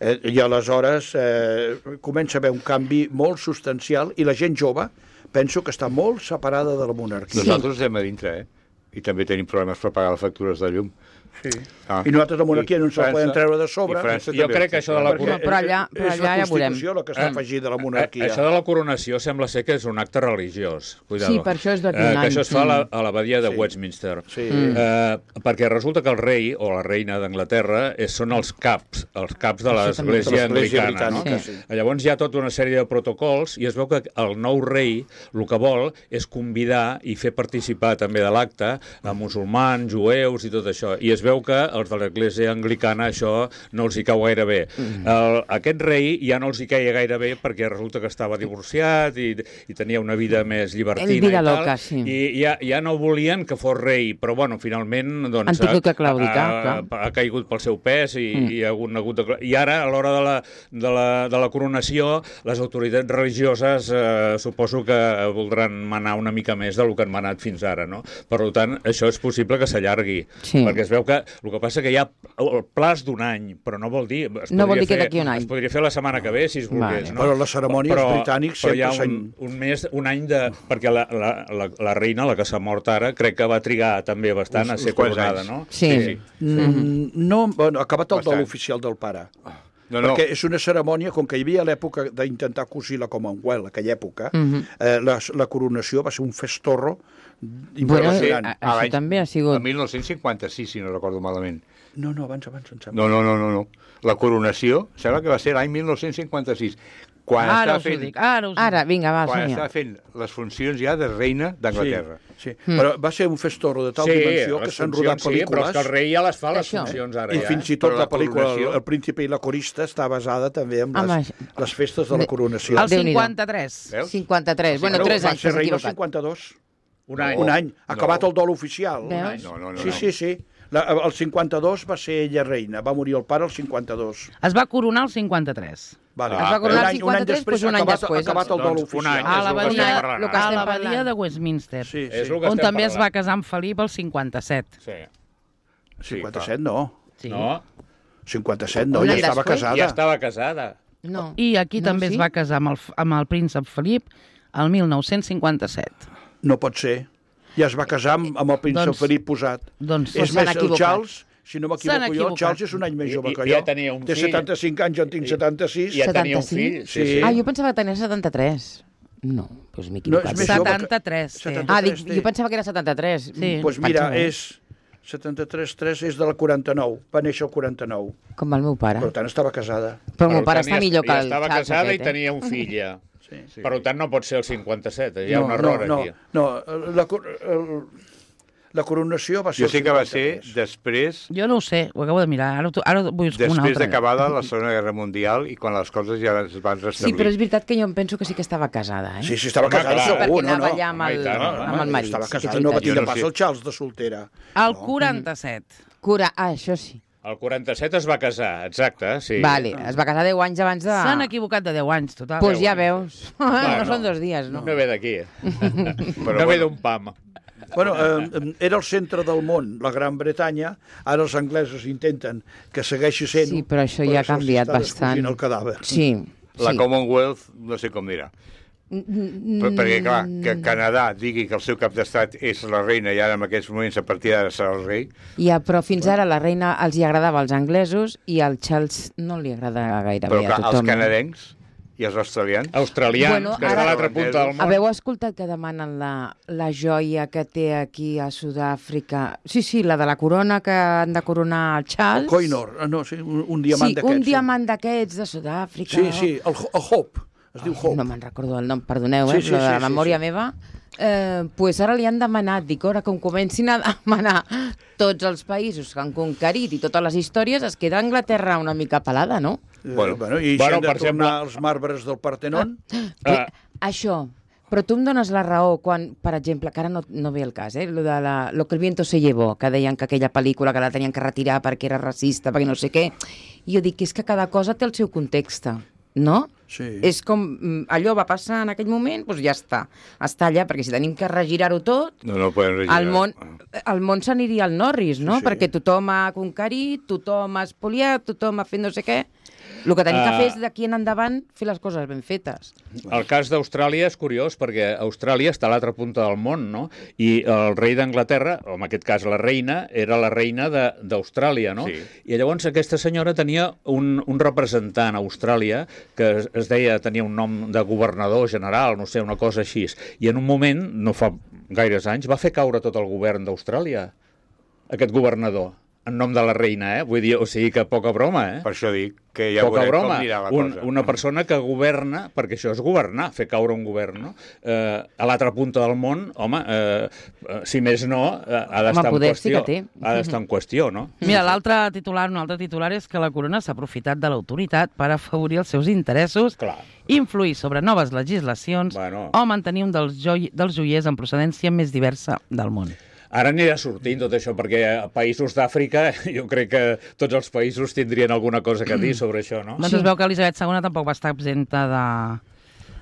Eh, I aleshores eh, comença a haver un canvi molt substancial i la gent jove penso que està molt separada de la monarquia. Nosaltres estem a dintre, eh? I també tenim problemes per pagar les factures de llum. Sí. Ah. I nosaltres la monarquia I no ens la França- poden treure de sobre. i França Jo també crec que té això de la problemes. perquè Però allà- però és allà la ja veurem. Constitució la que està afegida a la monarquia. Eh, Això de la coronació sembla ser que és un acte religiós. Cuidado. Sí, per això és d'aquí un eh, any. Que això es fa a la- Mm. a l'abadia de Sí. Westminster. Sí. Eh, perquè resulta que el rei o la reina d'Anglaterra és- són els caps, els caps de Això també. l'església De l'església anglicana. No? britànica, Sí. sí. Llavors hi ha tota una sèrie de protocols i es veu que el nou rei el que vol és convidar i fer participar també de l'acte a musulmans, jueus i tot això. I es veu que els de l'església anglicana això no els hi cau gaire bé. Mm. El, aquest rei ja no els hi queia gaire bé perquè resulta que estava divorciat i, i tenia una vida més llibertina El vida i tal, loca, sí. i ja, ja no volien que fos rei, però bueno, finalment doncs, Han tingut que ha, claudicar, ha, clar. ha, ha caigut pel seu pes i, Mm. i, ha hagut, ha hagut de, i ara a l'hora de, la, de, la, de la coronació les autoritats religioses eh, suposo que voldran manar una mica més del que han manat fins ara, no? Per tant, això és possible que s'allargui, Sí. perquè es veu que el que passa que hi ha el plaç d'un any, però no vol dir... Es No vol podria dir que fer- d'aquí un any. Es podria fer la setmana que ve, si es volgués, Vale. no? Però les cerimònies britànics però hi ha sempre un, un mes, un any de... Perquè la, la, la, la reina, la que s'ha mort ara, crec que va trigar també bastant Uns- a ser uns quants coronada, anys. no? Sí. Mm, no, bueno, ha acabat el Bastant. dol oficial del pare. No, no. Perquè és una cerimònia, com que hi havia l'època d'intentar cosir la Commonwealth, aquella època, Mhm. eh, la, la coronació va ser un festorro Bueno, impressionant. a- això l'any- també ha sigut... El mil nou-cents cinquanta-sis, si no recordo malament. No, no, abans, abans, em sembla. No, no, no, no, no. La coronació, sembla que va ser l'any mil nou-cents cinquanta-sis, Quan Ara estava us ho fent, dic, ara us ho Ara, dic. vinga, va, quan som-hi. estava fent les funcions ja de reina d'Anglaterra. Sí, sí. Però va ser un festorro de tal dimensió que les s'han funcions rodat sí, però és pel·lícules que el rei ja les fa, les Això. funcions, ara i ja. fins i Però tot la la pel·lícula coronació- El príncipe i la corista està basada també en Home, les, les festes de la coronació. El Déu-n'hi-do. cinquanta-tres. Veus? cinquanta-tres. Bueno, Però tres va anys, ser t'has reina el equivocat. cinquanta-dos. Un any. Un any. No. Acabat el dol oficial. Veus? No, no, no. Sí, no. sí, sí. La, el cinquanta-dos va ser ella reina. Va morir el pare el cinquanta-dos. Es va coronar el cinquanta-tres. Vale. Es va coronar Un el any- cinquanta-tres, doncs un any acabat, després. Acabat el dol Doncs un oficial. any. A És el que l'abadia estem parlant, lo que a estem l'abadia parlant. de Westminster, Sí, És sí. el que on estem també es va parlant. casar amb Felip el cinquanta-set. Sí. cinquanta-set no. Sí. No? cinquanta-set no, Un ja any estava després? casada. Ja estava casada. No. I aquí No, també sí? es va casar amb el, amb el príncep Felip el mil nou-cents cinquanta-set. No pot ser. Ja es va casar amb, amb el príncep Doncs- Felip posat. Doncs És s'han més, el equivocat. Charles, si no S'han m'equivoco jo, el equivocat. Charles és un any més I- jove i- que ja jo. tenia un Té fill. setanta-cinc anys, jo en tinc setanta-sis. I ja tenia un setanta-cinc? fill. Sí, sí. Ah, jo pensava que tenia setanta-tres. No, doncs m'he No, equivocat. és més jove que- setanta-tres. té. setanta- Ah, dic, té. jo pensava que era setanta-tres. Sí. Doncs pues mira, Pensava, eh? és setanta-tres tres és de la quaranta-nou. Va néixer el quaranta-nou. Com el meu pare. Per tant, estava casada. Però el meu Per pare tant, està ja- millor que ja el estava Charles casada aquest, i eh? tenia un fill, ja. Sí. Sí. Per tant, no pot ser el cinquanta-set. Hi ha un no, error no, aquí. No, no, la, cor- el, la coronació va ser Jo el sé que va ser cinquanta-tres. després Jo no ho sé, ho acabo de mirar. Ara, ho- ara ho vull una després altra. d'acabada la Segona Guerra Mundial i quan les coses ja es van Sí, restablir. però és veritat que jo em penso que sí que estava casada, eh? Sí, sí, estava Home, casada clar. segur, Perquè no, anava no. allà amb Home, i el, tant, home. amb el marit. Estava sí que és casada, no va veritat. tindre Jo no pas sé. el Charles de soltera. El quaranta-set. Cura... Ah, això sí. El quaranta-set es va casar, exacte, sí. Vale, es va casar deu anys abans de... S'han equivocat de deu anys, total. Pues ja deu veus. No són dos dies, no? No ve d'aquí. Però No ve bueno. d'un pam. Bueno, eh, era el centre del món, la Gran Bretanya. Ara els anglesos intenten que segueixi sent... Sí, però això ja ha se'ls canviat està bastant. descosint el cadàver. Sí, La sí. Commonwealth, no sé com dirà. Per, perquè, clar, que Canadà digui que el seu cap d'estat és la reina i ara en aquests moments a partir d'ara serà el rei, Ja, però fins ara la reina els hi agradava als anglesos i al Charles no li agrada gairebé però a clar, els tothom. canadencs i els australians... Australians, Bueno, que és ara- a l'altra punta del món. Haveu escoltat que demanen la, la joia que té aquí a Sud-àfrica? Sí, sí, la de la corona que han de coronar el Charles. Coinor, ah, no, sí, un, un diamant Sí, d'aquests. un diamant d'aquests de Sud-àfrica. Sí, sí, el, el Hope, es diu Hope. No me'n recordo el nom, perdoneu, Sí, eh? sí, Sí, sí, de la sí, sí, memòria sí. meva. Eh, pues ara li han demanat, dic, ara com comencin a demanar tots els països que han conquerit i totes les històries, es queda Anglaterra una mica pelada, no? Eh, Bueno. bueno, I Bueno, si han de per tornar exemple- els marbres del Partenon... Però, Ah. Això, però tu em dones la raó quan, per exemple, que ara no, no ve el cas, eh? Lo, de la, lo que el viento se llevó, que deien que aquella pel·lícula que la tenien que retirar perquè era racista, perquè no sé què. I jo dic que és que cada cosa té el seu context, no? Sí. És com, mm, allò va passar en aquell moment, doncs ja està. Està allà, perquè si tenim que regirar-ho tot, No, no poden regirar. el món, el món s'aniria al Norris, no? Sí, sí. Perquè tothom ha conquerit, tothom ha espoliat, tothom ha fet no sé què. El que tenim que Ah. fer és d'aquí en endavant fer les coses ben fetes. El cas d'Austràlia és curiós perquè Austràlia està a l'altra punta del món, no? I el rei d'Anglaterra, o en aquest cas la reina, era la reina de- d'Austràlia, no? Sí. I llavors aquesta senyora tenia un, un representant a Austràlia que es, es deia, tenia un nom de governador general, no sé, una cosa així. I en un moment, no fa gaires anys, va fer caure tot el govern d'Austràlia, aquest governador, en nom de la reina, eh? Vull dir, o sigui que poca broma, eh? Per això dic que ja Poca veurem broma. com anirà la Un, cosa. una persona que governa, perquè això és governar, fer caure un govern, no? Eh, a l'altra punta del món, home, eh, eh, si més no, eh, ha d'estar en poder sí qüestió. que té. Ha d'estar en qüestió, no? Mira, l'altre titular, un altre titular és que la corona s'ha aprofitat de l'autoritat per afavorir els seus interessos, Clar. influir sobre noves legislacions Bueno. o mantenir un dels, joi dels joiers en procedència més diversa del món. Ara anirà sortint tot això, perquè a països d'Àfrica jo crec que tots els països tindrien alguna cosa que dir sobre això, no? Doncs es veu que Elisabet segona tampoc va estar exempta de,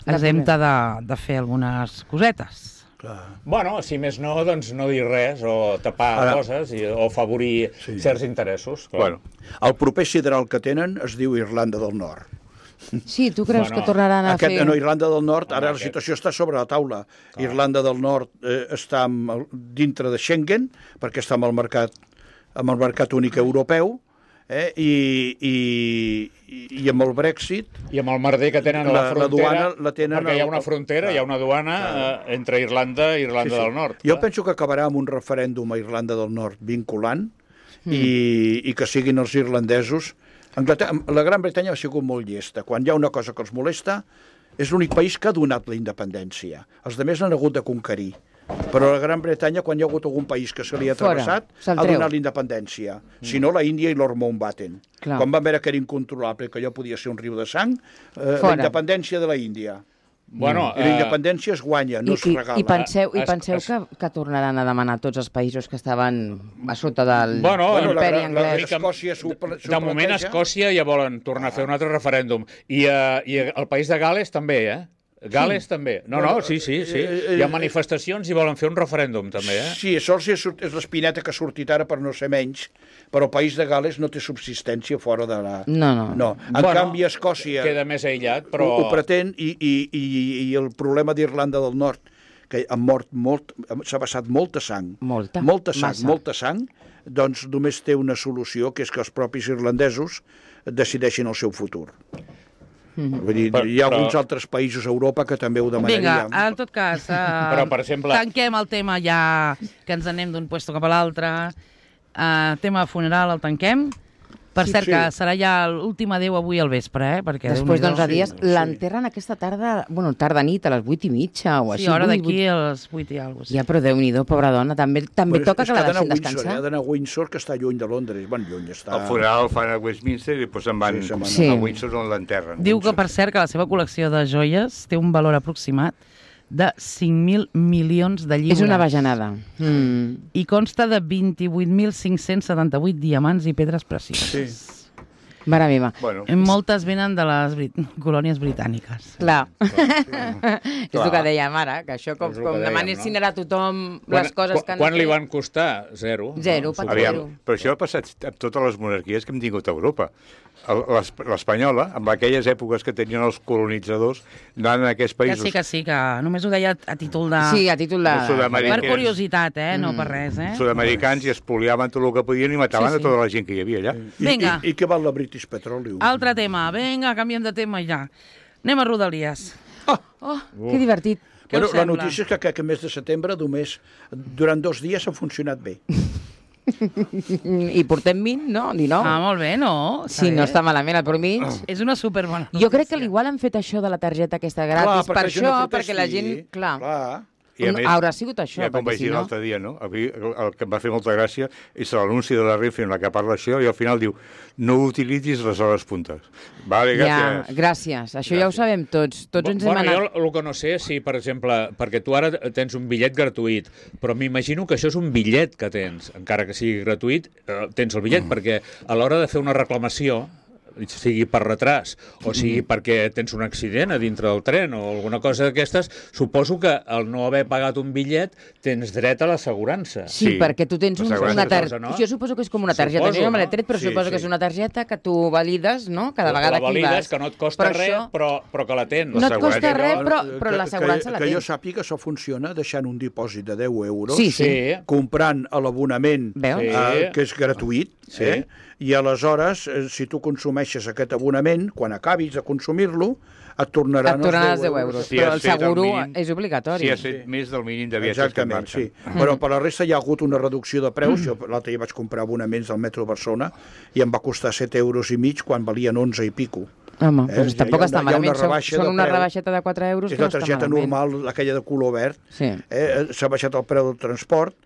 De exempta de, de fer algunes cosetes. Clar. Bueno, si més no, doncs no dir res, o tapar Ara- coses, i, o afavorir Sí. certs interessos. Clar. Bueno, El proper sideral que tenen es diu Irlanda del Nord. Sí, tu creus Bueno, que tornaran a Aquest, fer... no, Irlanda del Nord, Home, ara la aquest- situació està sobre la taula. Irlanda del Nord eh, està amb, el- dintre de Schengen, perquè està amb el mercat, amb el mercat únic europeu, eh, i, i, i amb el Brexit I amb el merder que tenen a la, La- la frontera, duana la tenen perquè hi ha al- una frontera, hi ha una duana eh, entre Irlanda i Irlanda del Nord. Jo clar. penso que acabarà amb un referèndum a Irlanda del Nord vinculant mm. i, i que siguin els irlandesos Anglaterra, la Gran Bretanya ha sigut molt llesta. Quan hi ha una cosa que els molesta, és l'únic país que ha donat la independència. Els altres han hagut de conquerir. Però la Gran Bretanya, quan hi ha hagut algun país que se li ha travessat, ha donat la independència. Mm. Si no, la Índia i Lord Mountbatten. Clar. Quan van veure que era incontrolable, que allò podia ser un riu de sang, eh, la independència de la Índia. Bueno, I la independència es guanya, no I, es regala. I, i penseu, i penseu es, que, que tornaran a demanar tots els països que estaven a sota del bueno, imperi la, la, anglès? la, Escòcia s'ho De moment, a Escòcia ja volen tornar a fer un altre referèndum. I, uh, i el país de Gales també, eh? Gales sí. també. No, no, sí, sí, sí. Hi ha manifestacions i volen fer un referèndum, també, eh? Sí, això és l'espineta que ha sortit ara per no ser menys, però el país de Gales no té subsistència fora de la... No, no. no. En bueno, canvi, Escòcia... Queda més aïllat, però... Ho, ho pretén, i, i, i, i el problema d'Irlanda del Nord, que ha mort molt, s'ha vessat molta sang. Molta. Molta sang, Massa. molta sang, doncs només té una solució, que és que els propis irlandesos decideixin el seu futur. Mm-hmm. Vull dir, hi ha alguns però... altres països a Europa que també ho demanarien. Vinga, en tot cas, uh, però, per exemple... tanquem el tema ja, que ens anem d'un puesto cap a l'altre. Uh, tema funeral el tanquem. Per Sí, cert, sí. que serà ja l'últim adéu avui al vespre, eh? Perquè Després Déu-n'hi-do. d'onze dies, sí. l'enterren aquesta tarda, bueno, tarda nit, a les vuit i mitja o així. Sí, hora vuit, d'aquí vuit. a les vuit i alguna cosa. Ja, però Déu-n'hi-do, pobra dona, també, també Bueno, toca és que la ha d'anar deixin a Windsor, descansar. eh? Ha d'anar a Windsor, que està lluny de Londres. Bueno, lluny està... El funeral el fan a Westminster i després se'n van Sí, se'n van Sí. a Windsor on l'enterren. Diu que, per cert, que la seva col·lecció de joies té un valor aproximat de cinc mil milions de lliures. És una bajanada. Mm. I consta de vint-i-vuit mil cinc-cents setanta-vuit diamants i pedres precioses. Sí. Mare meva. Bueno, Moltes venen de les brit colònies britàniques. Clar. Clar. És el que dèiem ara, que això com, És el que com dèiem, demanessin no? ara a tothom Quan, les coses que... quan, no quan li té. van costar? Zero. Zero, no? pat Aviam, zero. però això ha passat amb totes les monarquies que hem tingut a Europa. El- l'es- L'espanyola, amb aquelles èpoques que tenien els colonitzadors, anant a aquests Que països... sí, que sí, que només ho deia a títol de... Sí, a títol de... de Sud-amèrica. Per curiositat, eh? No per res, eh? Sud-americans i espoliaven tot el que podien i mataven Sí, sí. a tota la gent que hi havia allà. I, Vinga. I, I què val la British Petroleum? Altre tema. Vinga, canviem de tema i ja. Anem a Rodalies. Oh, que divertit. Què Bueno, us la sembla? notícia és que aquest mes de setembre només durant dos dies ha funcionat bé. I portem vint, no? dinou. Ah, molt bé, no? Sí, no està malament al promig. És una superbona notícia. Jo crec que igual han fet això de la targeta aquesta gratis per perquè la gent això, no perquè la gent... protesti. Clar, Clar. I a més, haurà sigut això, ja com perquè vaig si dir no... l'altre dia, no? Avui, el, el que em va fer molta gràcia és l'anunci de la Renfe en la que parla això i al final diu no utilitzis les hores puntes. Vale, Ja, gràcies. gràcies. Això ja ho sabem tots. Tots ens hem bueno, anat... jo el que no sé és si, per exemple, perquè tu ara tens un bitllet gratuït, però m'imagino que això és un bitllet que tens, encara que sigui gratuït, eh, tens el bitllet, mm. perquè a l'hora de fer una reclamació, sigui per retras o sigui perquè tens un accident a dintre del tren o alguna cosa d'aquestes, suposo que al no haver pagat un bitllet tens dret a l'assegurança. Sí, Sí, perquè tu tens un, l'assegurança una és targeta. cosa, no? Jo suposo que és com una targeta. Suposo, jo no me l'he no? tret, però Sí, suposo sí. que és una targeta que tu valides, no? Cada La vegada que hi valides, vas. que no et costa Però res, això- però, però que la tens. No et costa L'assegurança, res, no? però, Que- però que- l'assegurança la que, que jo tens. sàpiga, això funciona deixant un dipòsit de deu euros, Sí, sí. Sí. comprant a l'abonament, Veus? Sí. eh, que és gratuït, Sí. eh? I aleshores, eh, si tu consumeixes aquest abonament, quan acabis de consumir-lo, et tornaran, Et tornaran els els deu euros. Si Però has el fet el seguro mínim- és obligatori. Si has fet més del mínim de viatges Exactament, que et sí. marquen. Però per la resta hi ha hagut una reducció de preus. Jo l'altre dia vaig comprar abonaments del metro de Barcelona i em va costar set euros i mig quan valien onze i pico. Home, Eh, doncs hi ha- tampoc hi ha està una- hi ha una malament. Són, rebaixa són de una preu. rebaixeta de quatre euros És que la no està targeta malament. normal, aquella de color verd. Sí. Eh, S'ha baixat el preu del transport,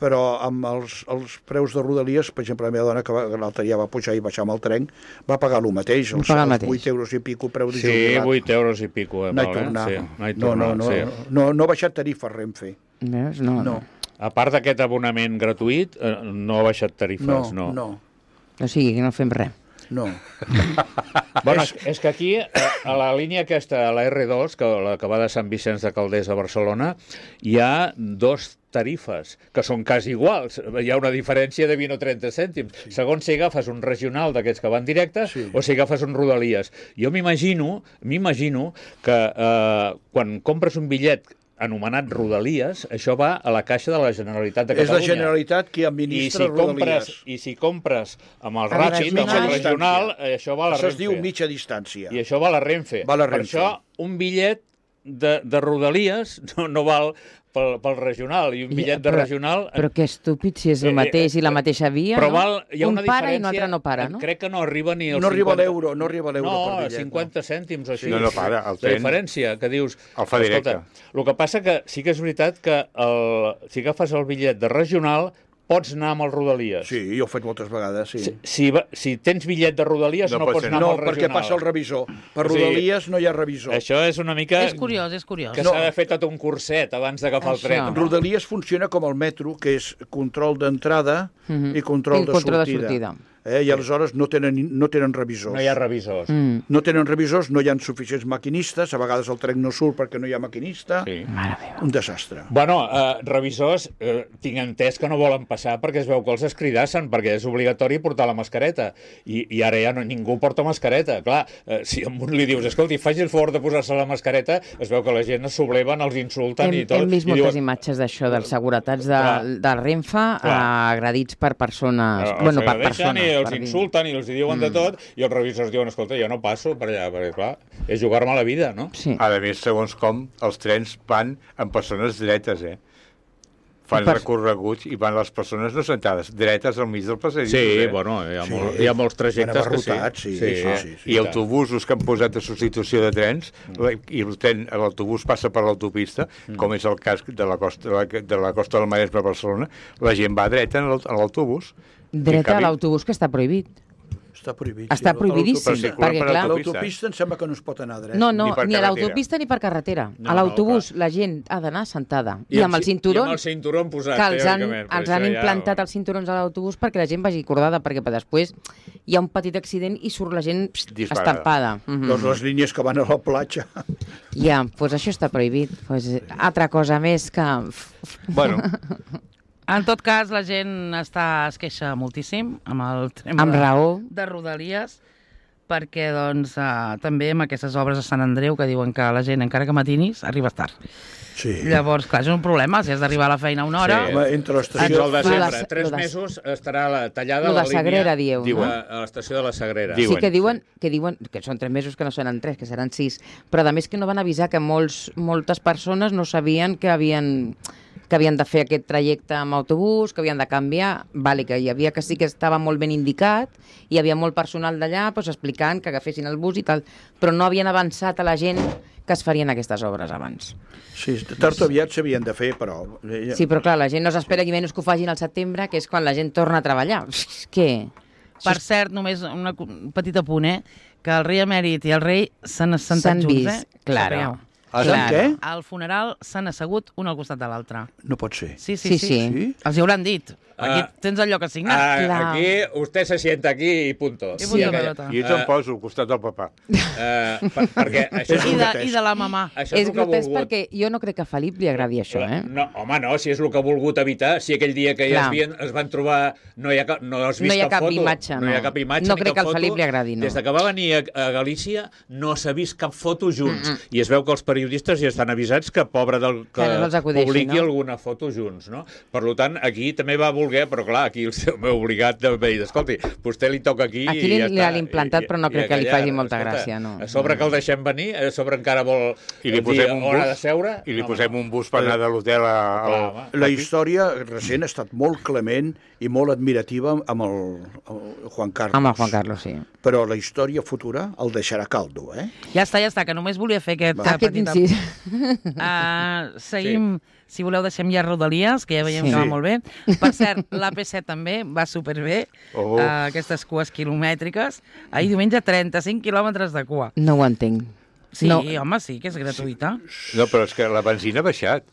però amb els, els preus de Rodalies, per exemple, la meva dona, que va- l'altre dia va pujar i baixar amb el tren, va pagar el mateix, els, pagar el els mateix. vuit euros i pico preu de Sí, jubilat. vuit euros i pico. Eh, No hi val, eh? tornar. Sí, no, hi no, tornar, no, no, sí. no, no ha baixat tarifa Renfe. Veus? No, No, A part d'aquest abonament gratuït, eh, no ha baixat tarifes, no, no. no, O sigui, que no fem res. no. Bueno, és, és que aquí, a, a la línia aquesta, a la erre dos, que, la que va de Sant Vicenç de Calders a Barcelona, hi ha dos tarifes, que són quasi iguals. Hi ha una diferència de vint o trenta cèntims. Sí. Segons si agafes un regional d'aquests que van directes Sí. o si agafes un Rodalies. Jo m'imagino m'imagino que eh, quan compres un bitllet anomenat Rodalies, això va a la caixa de la Generalitat de És la Catalunya. Generalitat qui I administra si, compres, Rodalies. I si compres amb el Amb Ràpid, amb regional. el regional, eh, això va a la Això es Renfe. diu mitja distància. I això va a la Renfe. Va a la Per Renfe. això, un bitllet de, de Rodalies no, no val pel, pel regional, i un bitllet de però, regional... Però que estúpid, si és el mateix i la mateixa via, però no? val, hi ha un una para diferència, i un altre no para, no? Crec que no arriba ni als No arriba cinquanta... l'euro, no arriba l'euro no, per bitllet. cinquanta no. cèntims o així. No, no para, el La tren... diferència, que dius... El fa directe. Escolta, el que passa que sí que és veritat que el, si agafes el bitllet de regional pots anar amb el Rodalies. Sí, jo ho he fet moltes vegades, sí. Si, si, va, si tens bitllet de Rodalies no, No no pots pots anar No, amb el perquè regional. passa el revisor. Per O sigui, Rodalies no hi ha revisor. Això és una mica... És curiós, és curiós. Que No. s'ha de fer tot un curset abans d'agafar el Això. tren. No? Rodalies funciona com el metro, que és control d'entrada Mhm. i control, I de, control de sortida. sortida. Eh? I aleshores no tenen, no tenen revisors. No hi ha revisors. Mm. No tenen revisors, no hi ha suficients maquinistes, a vegades el tren no surt perquè no hi ha maquinista. Sí. Mare meva. Un desastre. Bueno, eh, revisors, eh, tinc entès que no volen passar perquè es veu que els escridassen, perquè és obligatori portar la mascareta. I, i ara ja no, ningú porta mascareta. Clar, eh, si a un li dius, escolti, faci el favor de posar-se la mascareta, es veu que la gent es subleven, els insulten Hem, i tot. hem vist i moltes diuen, imatges d'això, dels seguretats de, Clar. de Renfe Clar. agredits per persones... els bueno, per agredeixen persones. i els per dir. insulten i els diuen mm. de tot, i els revisors diuen, escolta, jo no passo per allà, perquè clar, és jugar-me la vida, no? Sí. A més, segons com, els trens van amb persones dretes, eh? Fan Per- recorreguts i van les persones no sentades, dretes al mig del passadís. Sí, eh? bueno, hi ha, Sí. molt, hi ha molts trajectes Van que sí. abarrotats, sí, sí, eh? sí, sí. I autobusos que han posat a substitució de trens, i el tren, l'autobús passa per l'autopista, com és el cas de la costa de la, de la costa del Maresme a Barcelona, la gent va dreta en l'aut- en l'autobús. Dreta I a l'autobús, que està prohibit. Està prohibit. Està sí. prohibidíssim, Però si perquè per clar... l'autopista. L'autopista em sembla que no es pot anar dret. No, no, Ni per ni a carretera. l'autopista ni per carretera. No, A l'autobús no, la gent ha d'anar sentada. I, amb el ci- cinturó, I amb el cinturó posat, que els han, teòricament, però els han això ja- implantat els cinturons a l'autobús perquè la gent vagi acordada, perquè per després hi ha un petit accident i surt la gent pst, Disparada. estampada. Mhm. Doncs les línies que van a la platja. Ja, doncs això està prohibit. Pues, altra cosa més que... Bueno, En tot cas, la gent està, es queixa moltíssim amb el tema Amb de, raó. de Rodalies, perquè doncs, eh, també amb aquestes obres a Sant Andreu que diuen que la gent, encara que matinis, arriba tard. Sí. Llavors, clar, és un problema, si has d'arribar a la feina a una hora... Sí. Home, entre Fins l'estació... al desembre. Lo de- Tres lo de- mesos estarà la, tallada Lo la de línia Sagrera, dieu, Diuen. no? a, a l'estació de la Sagrera. Diuen. Sí que diuen, que diuen que són tres mesos, que no seran tres, que seran sis, però a més que no van avisar que molts, moltes persones no sabien que havien que havien de fer aquest trajecte amb autobús, que havien de canviar, vale, que hi havia que sí que estava molt ben indicat, hi havia molt personal d'allà doncs, explicant que agafessin el bus i tal, però no havien avançat a la gent que es farien aquestes obres abans. Sí, tard o aviat s'havien de fer, però... Sí, però clar, la gent no s'espera i menys que ho facin al setembre, que és quan la gent torna a treballar. Què? Per cert, només una, cu- un petit apunt, eh? Que el rei emèrit i el rei s'han assentat S'han junts, vist, eh? claro. Sapigueu. Ah, Clar. sap què? Al funeral s'han assegut un al costat de l'altre. No pot ser. Sí, sí, Sí, sí. sí. Sí? Els hi hauran dit. Aquí Ah. tens el lloc assignat. Ah, Clar. aquí, usted se sienta aquí i punto. I punto aquella- pelota. i ets on poso, al costat del papà. Eh, per, perquè això és, I el de, grotesc. I de la mamà. això és, És el que ha grotesc volgut. perquè jo no crec que a Felip li agradi això, eh? No, home, no, si és el que ha volgut evitar, si aquell dia que ja Clar. es, vien, es van trobar no hi ha cap, no has vist No hi ha cap foto, imatge, no hi ha no. cap imatge No ni crec cap que al foto. Felip li agradi, no. Des de que va venir a, a Galícia no s'ha vist cap foto junts, mm -mm. i es veu que els periodistes ja estan avisats que pobre del que, Que no els acudeixi, publiqui no? alguna foto junts, no? Per tant, aquí també va voler, però clar, aquí el seu meu obligat de dir, escolti, vostè li toca aquí Aquí i li- ja li està. han implantat, I- però no i crec que li aquella, faci molta escolta, gràcia, no. A sobre que el deixem venir, a sobre encara vol I li dir posem un on ha de bus, seure. i li No, posem no. un bus per anar de l'hotel a... Clar, a, home. La història recent ha estat molt clement i molt admirativa amb el, el Juan Carlos. Amb el Juan Carlos, sí. Però la història futura el deixarà caldo, eh? Ja està, ja està, que només volia fer aquest, Aquest petit... incís. Uh, seguim, sí. Si voleu deixem ja Rodalies, que ja veiem Sí. que va molt bé. Per cert, l'A P set també va superbé, Oh. uh, aquestes cues quilomètriques. Ahir diumenge trenta-cinc quilòmetres de cua. No ho entenc. Sí, No. home, sí, que és gratuïta. No, però és que la benzina ha baixat.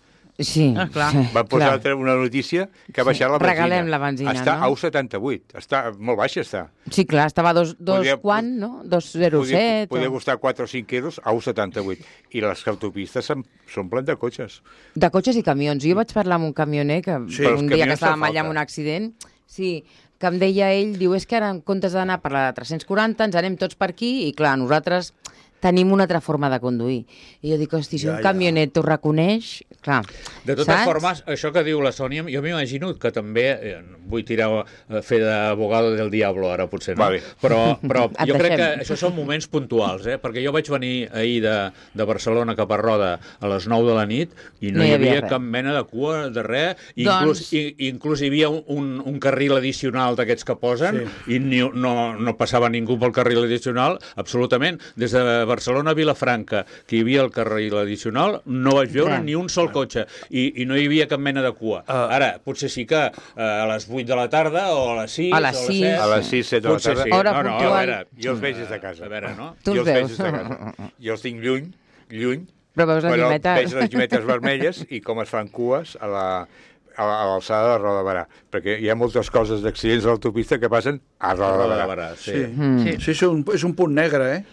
Sí. Ah, clar. sí, Van posar clar. altra una notícia que ha baixat la benzina. Regalem la benzina, està no? a u setanta-vuit. Està molt baixa, està. Sí, clar, estava a dos, dos Podria- quan, no? dos zero set. Podia o... costar quatre o cinc euros a u setanta-vuit. I les autopistes s'omplen de cotxes. De cotxes i camions. Jo vaig parlar amb un camioner que Sí, Però els un dia que camions estàvem fa allà amb falta. un accident, sí, que em deia ell, diu, és que ara en comptes d'anar per la tres-cents quaranta ens anem tots per aquí i clar, nosaltres tenim una altra forma de conduir. I jo dic, hosti, si Ja, un ja. camionet t'ho reconeix, clar, De totes saps? formes, això que diu la Sònia, jo m'imagino que també, eh, vull tirar, eh, fer d'abogado del diablo ara, potser, no? Vale. Però, però Et jo crec que deixem. això són moments puntuals, eh? Perquè jo vaig venir ahir de, de Barcelona cap a Roda a les nou de la nit i no, No hi hi havia havia res. cap mena de cua de res, i Doncs- inclús, i, inclús hi havia un, un, un carril addicional d'aquests que posen sí. i ni, no, no passava ningú pel carril addicional, absolutament. Des de Barcelona a Vilafranca, que hi havia el carril addicional, no vaig veure Res. ni un sol cotxe i, i no hi havia cap mena de cua. Uh, Ara, potser sí que uh, a les vuit de la tarda o a les sis A les o sis. set. A les sis, set de la Potser tarda. Sí. Hora no, no, puntual. a veure, Jo els veig des de casa. A veure, no? Tu jo els els veig veus. des de casa. Jo els tinc lluny, lluny, Però veus les però llumetes. veig les llumetes vermelles i com es fan cues a la a la- a l'alçada de Roda de Barà, perquè hi ha moltes coses d'accidents a l'autopista que passen a Roda de Roda de Barà. Barà, sí. Sí, Mm. sí. sí és, un, és un punt negre, eh?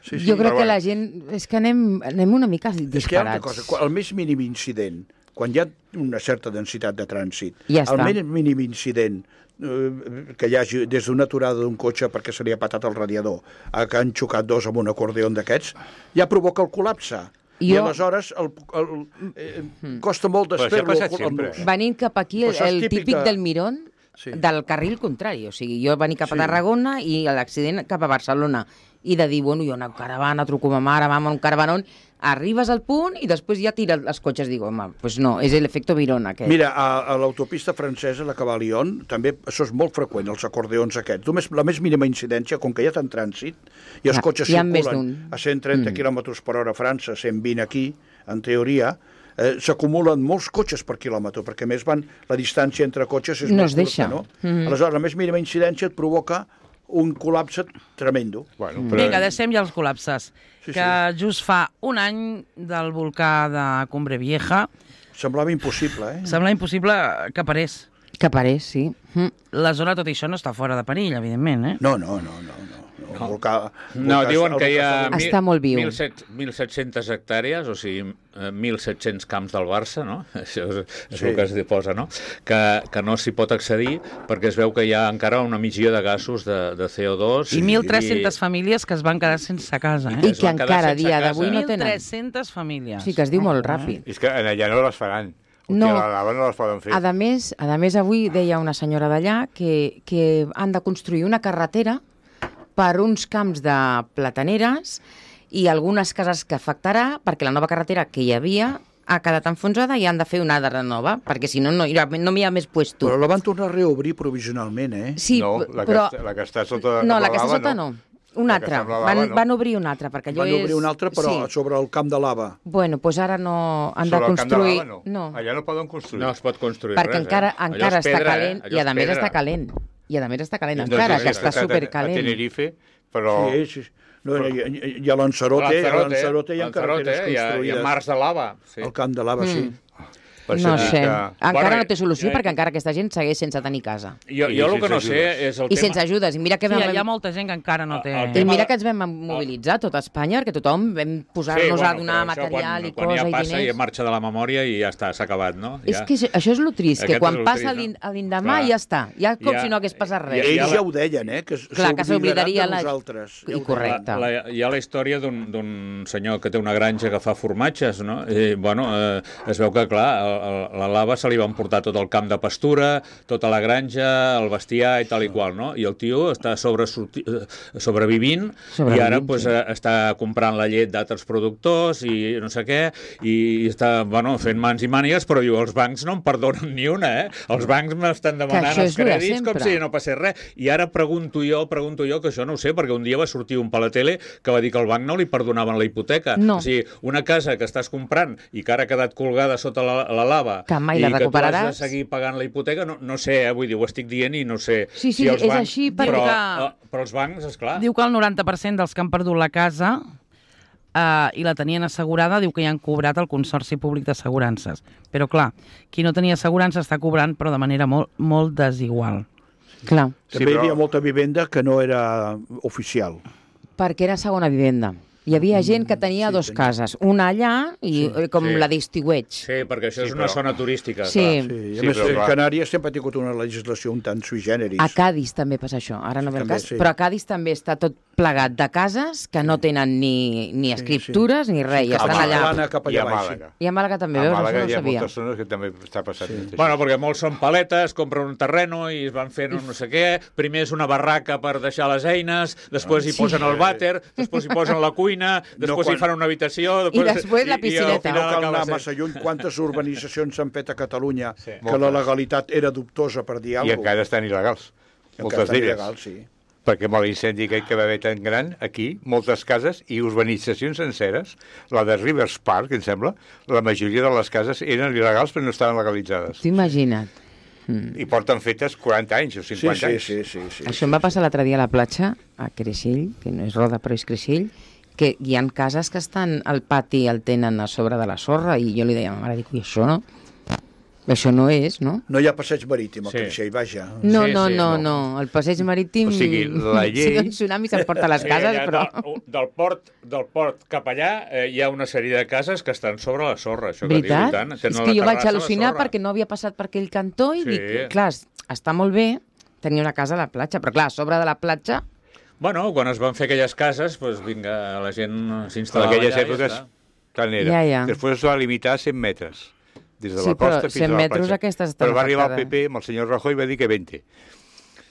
Sí, sí. Jo crec però que bueno. la gent... És que anem, anem una mica disparats. És que hi ha una cosa, quan- el més mínim incident, quan hi ha una certa densitat de trànsit, Ja el està. més mínim incident eh, que hi hagi des d'una aturada d'un cotxe perquè se li ha patat el radiador a que han xocat dos amb un acordeon d'aquests, ja provoca el col·lapse. I Jo- aleshores el, el, eh, costa molt Però això ha desfer-lo. passat el- sempre. el- Venint cap aquí, el, Però això és el típic típic de- del Mirón, Sí. del carril contrari. O sigui, jo venir cap a Sí. Tarragona i l'accident cap a Barcelona. I de dir, bueno, jo una caravana, truco a ma mare, vam a un caravanón, arribes al punt i després ja tira els cotxes. Dic, home, doncs no, és l'efecte Mirón aquest. Mira, a, a l'autopista francesa, la que va a Lyon, també això és molt freqüent, els acordeons aquests. Només, la més mínima incidència, com que hi ha tant trànsit, i els Clar, cotxes hi ha més circulen d'un. a cent trenta Mm. quilòmetres per hora a França, cent vint aquí, en teoria, eh, s'acumulen molts cotxes per quilòmetre, perquè a més van, la distància entre cotxes és No molt es deixa. curta, no? Mm. Aleshores, la més mínima incidència et provoca un col·lapse tremendo. Bueno, Mm. però... Vinga, deixem ja els col·lapses. Sí, que just fa un any del volcà de Cumbre Vieja Semblava impossible, eh? sembla impossible que parés. Que parés, sí. Mm. La zona, tot i això, no està fora de perill, evidentment, eh? No, no, no, no. no. El volcà, el No, volcà- diuen el que hi ha volcà- Està molt viu. mil set-cents hectàrees, o sigui, eh, mil set-cents camps del Barça, no? Això és, és Sí. el que es posa, no? Que, que no s'hi pot accedir perquè es veu que hi ha encara una emissió de gasos de, de C O dos. I mil tres-centes famílies que es van quedar sense casa, I eh? es que van quedar encara a sense dia casa. d'avui no mil tenen. tres-centes famílies. Sí, que es diu molt ràpid. És que allà no les faran. O No. sigui, a la lava no les poden fer. A més, a més, avui deia una senyora d'allà que, que han de construir una carretera per uns camps de plataneres i algunes cases que afectarà perquè la nova carretera que hi havia ha quedat enfonsada i han de fer una altra nova, perquè si no, no hi ha, no hi ha més puesto. Però la van tornar a reobrir provisionalment, eh? Sí, no, la que, però... està, la que està sota No, la la que està lava, sota no. Una La que altra. està amb la Van, lava, no. van obrir una altra, perquè allò Van és... obrir una altra, però Sí. sobre el camp de lava. Bueno, doncs ara no han Sobre de el camp de construir... lava, no. Allà no poden construir. No es pot construir perquè res, encara, eh? Allò encara és està pedra, calent eh? i Allò a és més pedra. està calent. I a més està calent, Doncs encara, jo que he està estat a- supercalent. A Tenerife, però... Sí, sí. No, i, i, i a Lanzarote, a Lanzarote hi ha carreteres hi ha, hi construïdes. ha mars de lava. Sí. Al camp de lava, sí. Per No sentir sé. que- Encara Bueno, no té solució eh, perquè encara aquesta gent segueix sense tenir casa. Jo, I jo el que sense no sé ajudes. és el I tema... sense ajudes. I mira que Sí, vam... hi ha molta gent que encara no té... El I tema mira de- que ens vam mobilitzar tot Espanya, perquè tothom vam posar-nos a donar però això material quan, i quan cosa ja i passa i diners. marxa de la memòria i ja està, s'ha acabat, no? És ja. que això- això és lo trist, que Aquest quan és lo passa trist, no? l'in- l'endemà Clar. ja està. Ja com Ja- si no hagués passat res. Ja- Ells la- ja ho deien, eh? Que Clar, que s'oblidaria de la- nosaltres. I Ja ho correcte. deien. La, hi ha la història d'un d'un senyor que té una granja que fa formatges, no? I, bueno, eh, es veu que, clar, a, a la lava se li van portar tot el camp de pastura, tota la granja, el bestiar i tal i qual, no? I el tio està sobre, sobrevivint, Sobrevivint, i ara sí. pues, eh, està comprant la llet d'altres productors i no sé què, i està, bueno, fent mans i mànigues, però diu, els bancs no em perdonen ni una, eh? Els bancs m'estan demanant això els és lo de crèdits com sempre. si no passés res. I ara pregunto jo, pregunto jo, que això no ho sé, perquè un dia va sortir un per la tele que va dir que al banc no li perdonaven la hipoteca. No. O sigui, una casa que estàs comprant i que ara ha quedat colgada sota la, la lava Que mai i la que tu has recuperaràs. de seguir pagant la hipoteca, no, no sé, eh, vull dir, ho estic dient i no sé Sí, sí, si els és bancs... així, però, perquè- eh, però els bancs, esclar... Diu que el noranta per cent dels que han perdut la casa eh, i la tenien assegurada, diu que ja han cobrat el Consorci Públic d'Assegurances. Però, clar, qui no tenia assegurança està cobrant, però de manera molt, molt desigual. Clar, Sí, També hi però- havia molta vivenda que no era oficial. perquè era segona vivenda. Hi havia gent que tenia sí, dos tenia. cases, una allà i sí, com sí. la d'estiueig. Sí, perquè això Sí, és una però- zona turística. Sí. clar. Sí, i a Sí, més, però clar. Canàries sempre ha tingut una legislació un tant sui generis. A Cádiz també passa això, ara no ve el També, cas, sí. però a Cádiz també està tot plegat de cases que no tenen ni, ni escriptures ni res, i cap estan a allà. Catalana, cap I allà a baix. Màlaga. I a Màlaga també, A veus? Màlaga Això no hi ho ha sabia. moltes zones que també està passant. Sí. Sí. Bueno, perquè molts són paletes, compren un terreno i es van fent un no sé què, primer és una barraca per deixar les eines, després hi Sí. posen el vàter, després hi posen la cuina, després quan- hi fan una habitació... I després la i- i al piscineta. final No cal acaba anar sent- massa lluny. Quantes urbanitzacions s'han fet a Catalunya Sí. que la Moltes. legalitat era dubtosa, per dir I alguna encara estan il·legals. Moltes Encara d'elles. il·legal, sí. Perquè amb l'incendi aquell que va haver tan gran, aquí, moltes cases i urbanitzacions senceres, la de Rivers Park, em sembla, la majoria de les cases eren il·legals però no estaven legalitzades. T'ho imagina't. I porten fetes quaranta anys o Sí, cinquanta sí, anys. sí, sí, sí. Això em va passar l'altre dia a la platja, a Creixell, que no és Roda però és Creixell, que hi ha cases que estan al pati el tenen a sobre de la sorra i jo li deia a ma mare, dic, i això no? Això no és, no? No hi ha passeig marítim a Sí. Creixell, vaja. No, Sí, no, sí, no, no. no. El passeig marítim... O sigui, la Si llei- no, un tsunami s'emporta les Sí, cases, allà però... Del, del, port, del port cap allà eh, hi ha una sèrie de cases que estan sobre la sorra, això que diu, i Veritat? tant. És Tenen que la jo vaig terrassa a la al·lucinar sorra. perquè no havia passat per aquell cantó i Sí. dic, clar, està molt bé tenir una casa a la platja, però clar, a sobre de la platja... Bueno, quan es van fer aquelles cases, doncs vinga, la gent En s'instal·lava aquelles allà èpoques, i ja està. tant era. Ja, ja. Després es va limitar a cent metres. Des de Sí, la però costa fins cent a la metres platja. aquestes estan Però va arribar el afectades. P P amb el senyor Rajoy i va dir que vint.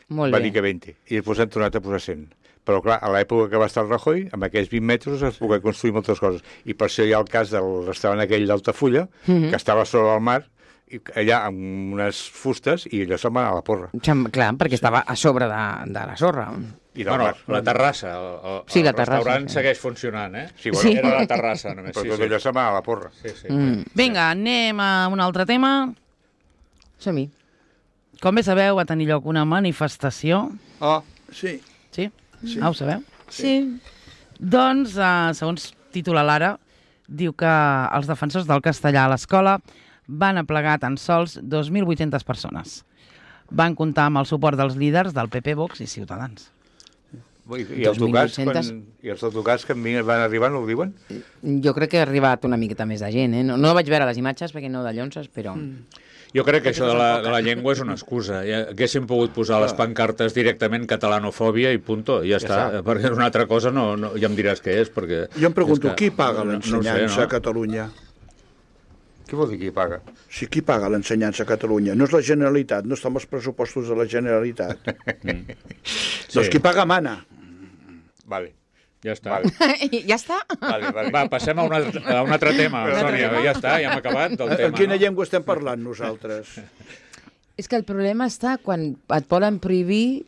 Molt va bé. dir que vint. I després han tornat a posar cent. Però, clar, a l'època que va estar el Rajoy, amb aquells vint metres es pogué construir moltes coses. I per això hi ha el cas del restaurant aquell d'Altafulla, Mhm. que estava sobre el mar, i allà amb unes fustes, i allò se'n va anar a la porra. Xem- Clar, perquè estava a sobre de, de la sorra. I del Bueno, mar. la terrassa, el, el, Sí, la el terrassa, restaurant sí. segueix funcionant, eh? Sí, bueno, Sí. Era la terrassa, només. però Sí, tot sí. allò se'n va anar a la porra. Sí, sí. Mm. Vinga, anem a un altre tema. Som-hi. Com bé sabeu, va tenir lloc una manifestació. Oh, Sí. Sí? sí. Ah, ho sabeu? Sí. Doncs, eh, segons titula l'Ara, diu que els defensors del castellà a l'escola van aplegar tan sols dos mil vuit-centes persones. Van comptar amb el suport dels líders del P P, Vox i Ciutadans. I, i, els tocats, quan, dos mil vuit-centes. I els tocats que van arribar no ho diuen? Jo crec que ha arribat una miqueta més de gent, eh? No, no vaig veure les imatges perquè no de llonces, però... Mm. Jo crec que això de la, de la llengua és una excusa. Ja haguéssim pogut posar les pancartes directament catalanofòbia i punto, i ja, ja està. està. Perquè una altra cosa no, no, ja em diràs què és, perquè... Jo em pregunto, és que- qui paga no- no ho sé, l'ensenyança no? a Catalunya? Què vol dir qui paga? Sí, qui paga l'ensenyança a Catalunya? No és la Generalitat, no està amb els pressupostos de la Generalitat. Sí. Doncs qui paga mana. Vale. Ja està. Vale. ja està? Vale, vale. Va, passem a un altre, a un altre tema, Un altre Sònia. tema? Ja està, ja hem acabat del En tema. quina no? llengua estem parlant nosaltres? És que el problema està quan et volen prohibir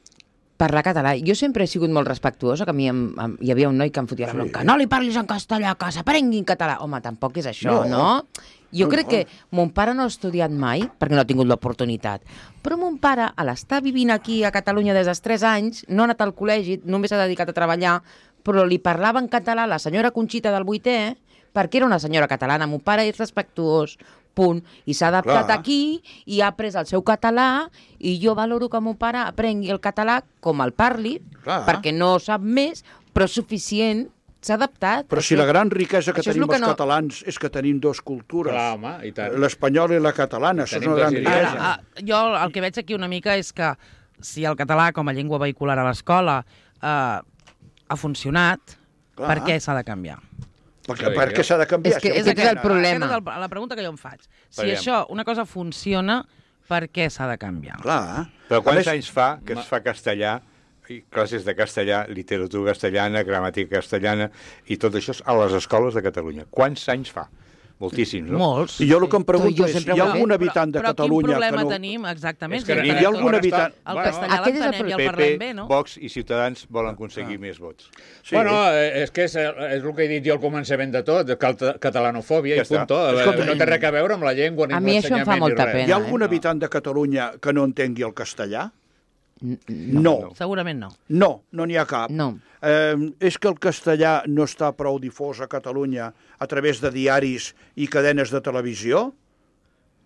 parlar català. Jo sempre he sigut molt respectuosa, que a mi em, em, hi havia un noi que em fotia la bronca. No li parlis en castellà, que s'aprengui en català. Home, tampoc és això, no? No. Jo No, crec no. que mon pare no ha estudiat mai, perquè no ha tingut l'oportunitat, però mon pare, a l'estar vivint aquí a Catalunya des dels tres anys, no ha anat al col·legi, només s'ha dedicat a treballar, però li parlava en català a la senyora Conxita del vuitè, perquè era una senyora catalana. Mon pare és respectuós, punt. I s'ha adaptat Clar. aquí i ha après el seu català, i jo valoro que mon pare aprengui el català com el parli, Clar. perquè no sap més, però suficient, s'ha adaptat. Però si la gran riquesa que això és tenim lo que els no- catalans és que tenim dos cultures. Clar, home, i tant. L'espanyola i la catalana, això és Tenim una gran dos idiomes. riquesa. Ara, ah, jo el que veig aquí una mica és que si el català com a llengua vehicular a l'escola eh, ha funcionat, Clar. per què s'ha de canviar? Perquè, per què s'ha de canviar? És que Si és ho aquest el tenen. problema. Aquesta és el, la pregunta que jo em faig. Si Veiem. això, una cosa funciona, per què s'ha de canviar? Clar. Però A quants més, anys fa que es fa castellà, i classes de castellà, literatura castellana, gramàtica castellana, i tot això a les escoles de Catalunya? Quants anys fa? Moltíssims, no? Molts. I jo el que em pregunto Jo és, sempre hi ha ho he algun Però- habitant de però Catalunya quin problema que no... tenim, exactament? És que si hi ha entenem algun que habitant- El Bueno, castellà aquest és el l'entenem i el P parlem P, bé, no? Vox i Ciutadans volen aconseguir més vots. Sí. Bueno, eh, és que és, és el que he dit jo al començament de tot, de cal- catalanofòbia Ja i punt. està. Escolta, No té res a veure amb la llengua ni A amb mi això em fa l'ensenyament ni molta res. pena. Hi ha algun eh? habitant de Catalunya que no entengui el castellà? No. Segurament no. No, no n'hi ha cap. No. Eh, és que el castellà no està prou difós a Catalunya a través de diaris i cadenes de televisió?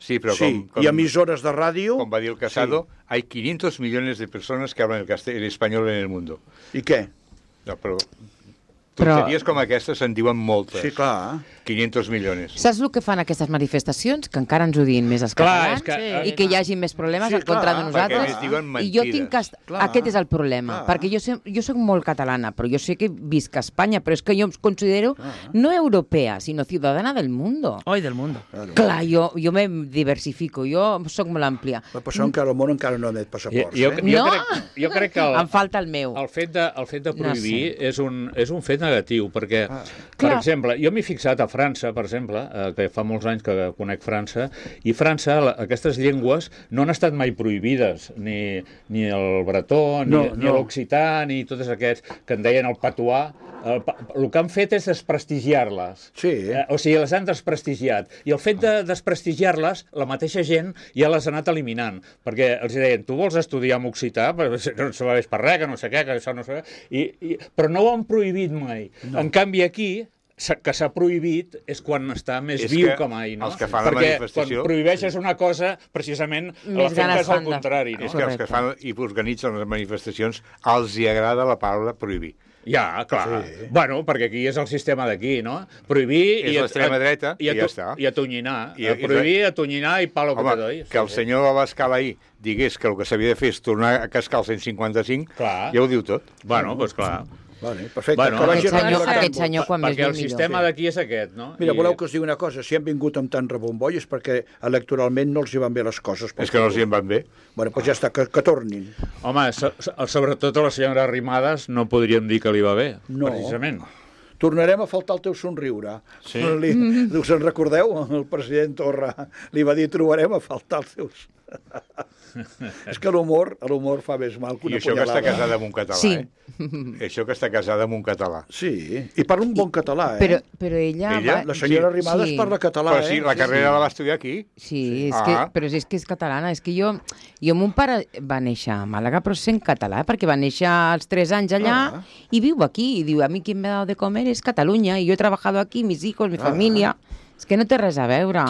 Sí, però sí, com, com, i emissores de ràdio? com va dir el Casado, hay quinientos millones de personas que hablan el, castell- el español en el mundo. I què? No, però Tonteries com aquestes se'n diuen moltes. Sí, clar. quinientos milions. Saps el que fan aquestes manifestacions? Que encara ens odiïn més els Clar, catalans és que- sí, i que hi hagi més problemes Sí, en contra clar, de perquè nosaltres. a més diuen I jo mentides. tinc que... est- Clar, Aquest és el problema, clar. perquè jo, sé, jo soc molt catalana, però jo sé que visc a Espanya, però és que jo em considero no europea, sinó ciudadana del mundo. Hoy del mundo. Clar, jo, jo me diversifico, jo sóc molt àmplia. Va passar encara al món encara no emet passaports, Jo, eh? jo, No! crec, jo crec que el, Em falta el meu. el fet de, el fet de No prohibir és, un, és un fet negatiu, perquè, Ah. per Clar. exemple, jo m'he fixat a França, per exemple, eh, que fa molts anys que conec França, i França, la, aquestes llengües no han estat mai prohibides, ni, ni el bretó, ni, No, ni no. l'occità, ni tots aquests que en deien el patuà. El, pa- el que han fet és desprestigiar-les. Sí. Eh, o sigui, les han desprestigiat. I el fet de desprestigiar-les, la mateixa gent ja les ha anat eliminant. Perquè els deien, tu vols estudiar amb occità? Però no sabés per res, que no sé què, que això no sé què. I, i, però no ho han prohibit mai. No. En canvi, aquí s'ha- que s'ha prohibit és quan està més És viu que que mai, no? els que fan la Perquè manifestació- quan prohibeixes una cosa, precisament Més l'efecte ganes és al fan de- contrari, no? És que els que fan i organitzen les manifestacions els hi agrada la paraula prohibir. Ja, clar. Sí. Bueno, perquè aquí és el sistema d'aquí, no? Prohibir... És i a- l'extrema dreta i, a, i ja està. I atonyinar. I- I, i prohibir, atonyinar i palo que te Home, doy. que el senyor Abascal ahir digués que el que s'havia de fer és tornar a cascar el cent cinquanta-cinc, Clar. ja ho diu tot. Bueno, doncs clar. Vale, perfecte. Bueno, que vagi Aquest senyor, relaxant-vos. aquest senyor quan més Perquè el viu, millor. sistema d'aquí és aquest, no? Mira, I- voleu que us digui una cosa? Si han vingut amb tant rebomboi és perquè electoralment no els hi van bé les coses. És que no els hi en van bé. Bueno, doncs ja està, que, que tornin. Home, so, so, sobretot a la senyora Arrimadas no podríem dir que li va bé, No. precisament. Tornarem a faltar el teu somriure. Sí. Li, us en recordeu? El president Torra li va dir trobarem a faltar els teus... És que l'humor l'humor fa més mal que I una això que està punyalada. casada amb un català, Sí. eh? Això que està casada amb un català. Sí, i parla un bon català, eh? Però, però ella... Ella? Va... La senyora Sí. Arrimadas Sí. parla català, Però sí, eh? la carrera la va estudiar aquí. Sí, és Ah. que, però és que és catalana. És que jo, jo, mon pare va néixer a Màlaga, però sent català, perquè va néixer als tres anys allà Ah. i viu aquí. I diu, a mi quien me ha dado de comer es Catalunya, i jo he trabajado aquí, mis hijos, mi familia. És que no té res a veure.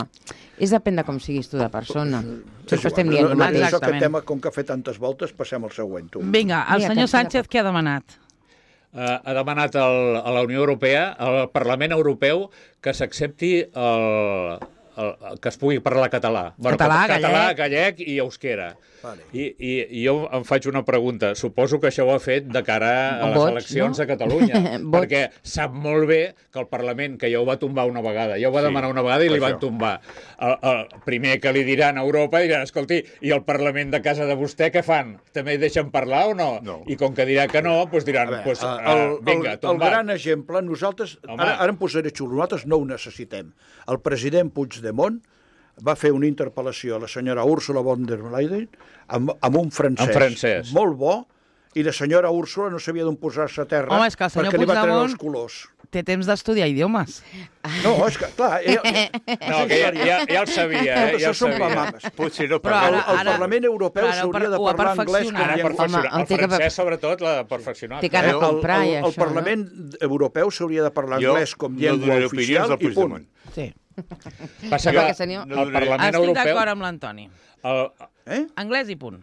És depèn de com siguis tu de persona. És Sempre estem igual, dient no, el no, mateix. això, aquest Exactament. tema, com que ha fet tantes voltes, passem al següent. Tu. Vinga, el Mira, senyor que- Sánchez què ha demanat? Eh, ha demanat al, a la Unió Europea, al Parlament Europeu, que s'accepti el, el, que es pugui parlar català. Català, català, gallec. gallec i euskera. Vale. I, i, I jo em faig una pregunta. Suposo que això ho ha fet de cara a les Boig, eleccions no? a Catalunya. Boig. Perquè sap molt bé que el Parlament, que ja ho va tombar una vegada, ja ho va Sí, demanar una vegada i per li van això. tombar. El, el primer que li diran a Europa, diran, escolti, i el Parlament de casa de vostè què fan? També deixen parlar o no? No. I com que dirà que no, doncs diran, A veure, pues, el, uh, vinga, el, el tombat. gran exemple, nosaltres, Home. ara, ara em posaré xulo, nosaltres no ho necessitem. El president Puigdemont va fer una interpel·lació a la senyora Úrsula von der Leyen amb, amb un francès, En francès. molt bo, i la senyora Úrsula no sabia d'on posar-se a terra Home, és que el senyor perquè li va treure Puigdemont- els colors. Té temps d'estudiar idiomes. No, és que, clar... Ell, No, que ja, ja, ja el sabia, eh? Tot ja això el són sabia. mamames. Potser no Però parla. El, ara- el Parlament Europeu però ara s'hauria de ho ha parlar anglès com perfeccionat. Ara, llengua... perfeccionar. Home, El el té que- francès, sobretot, l'ha perfeccionat. Té que anar a El, el, comprar i el, el això, no? Parlament Europeu s'hauria de parlar Jo anglès com no llengua donaré oficial opinions al i punt. Puigdemont. Sí. Passa Perquè, que senyor- el Parlament Estic Europeu... d'acord amb l'Antoni. El, Eh? Anglès i punt.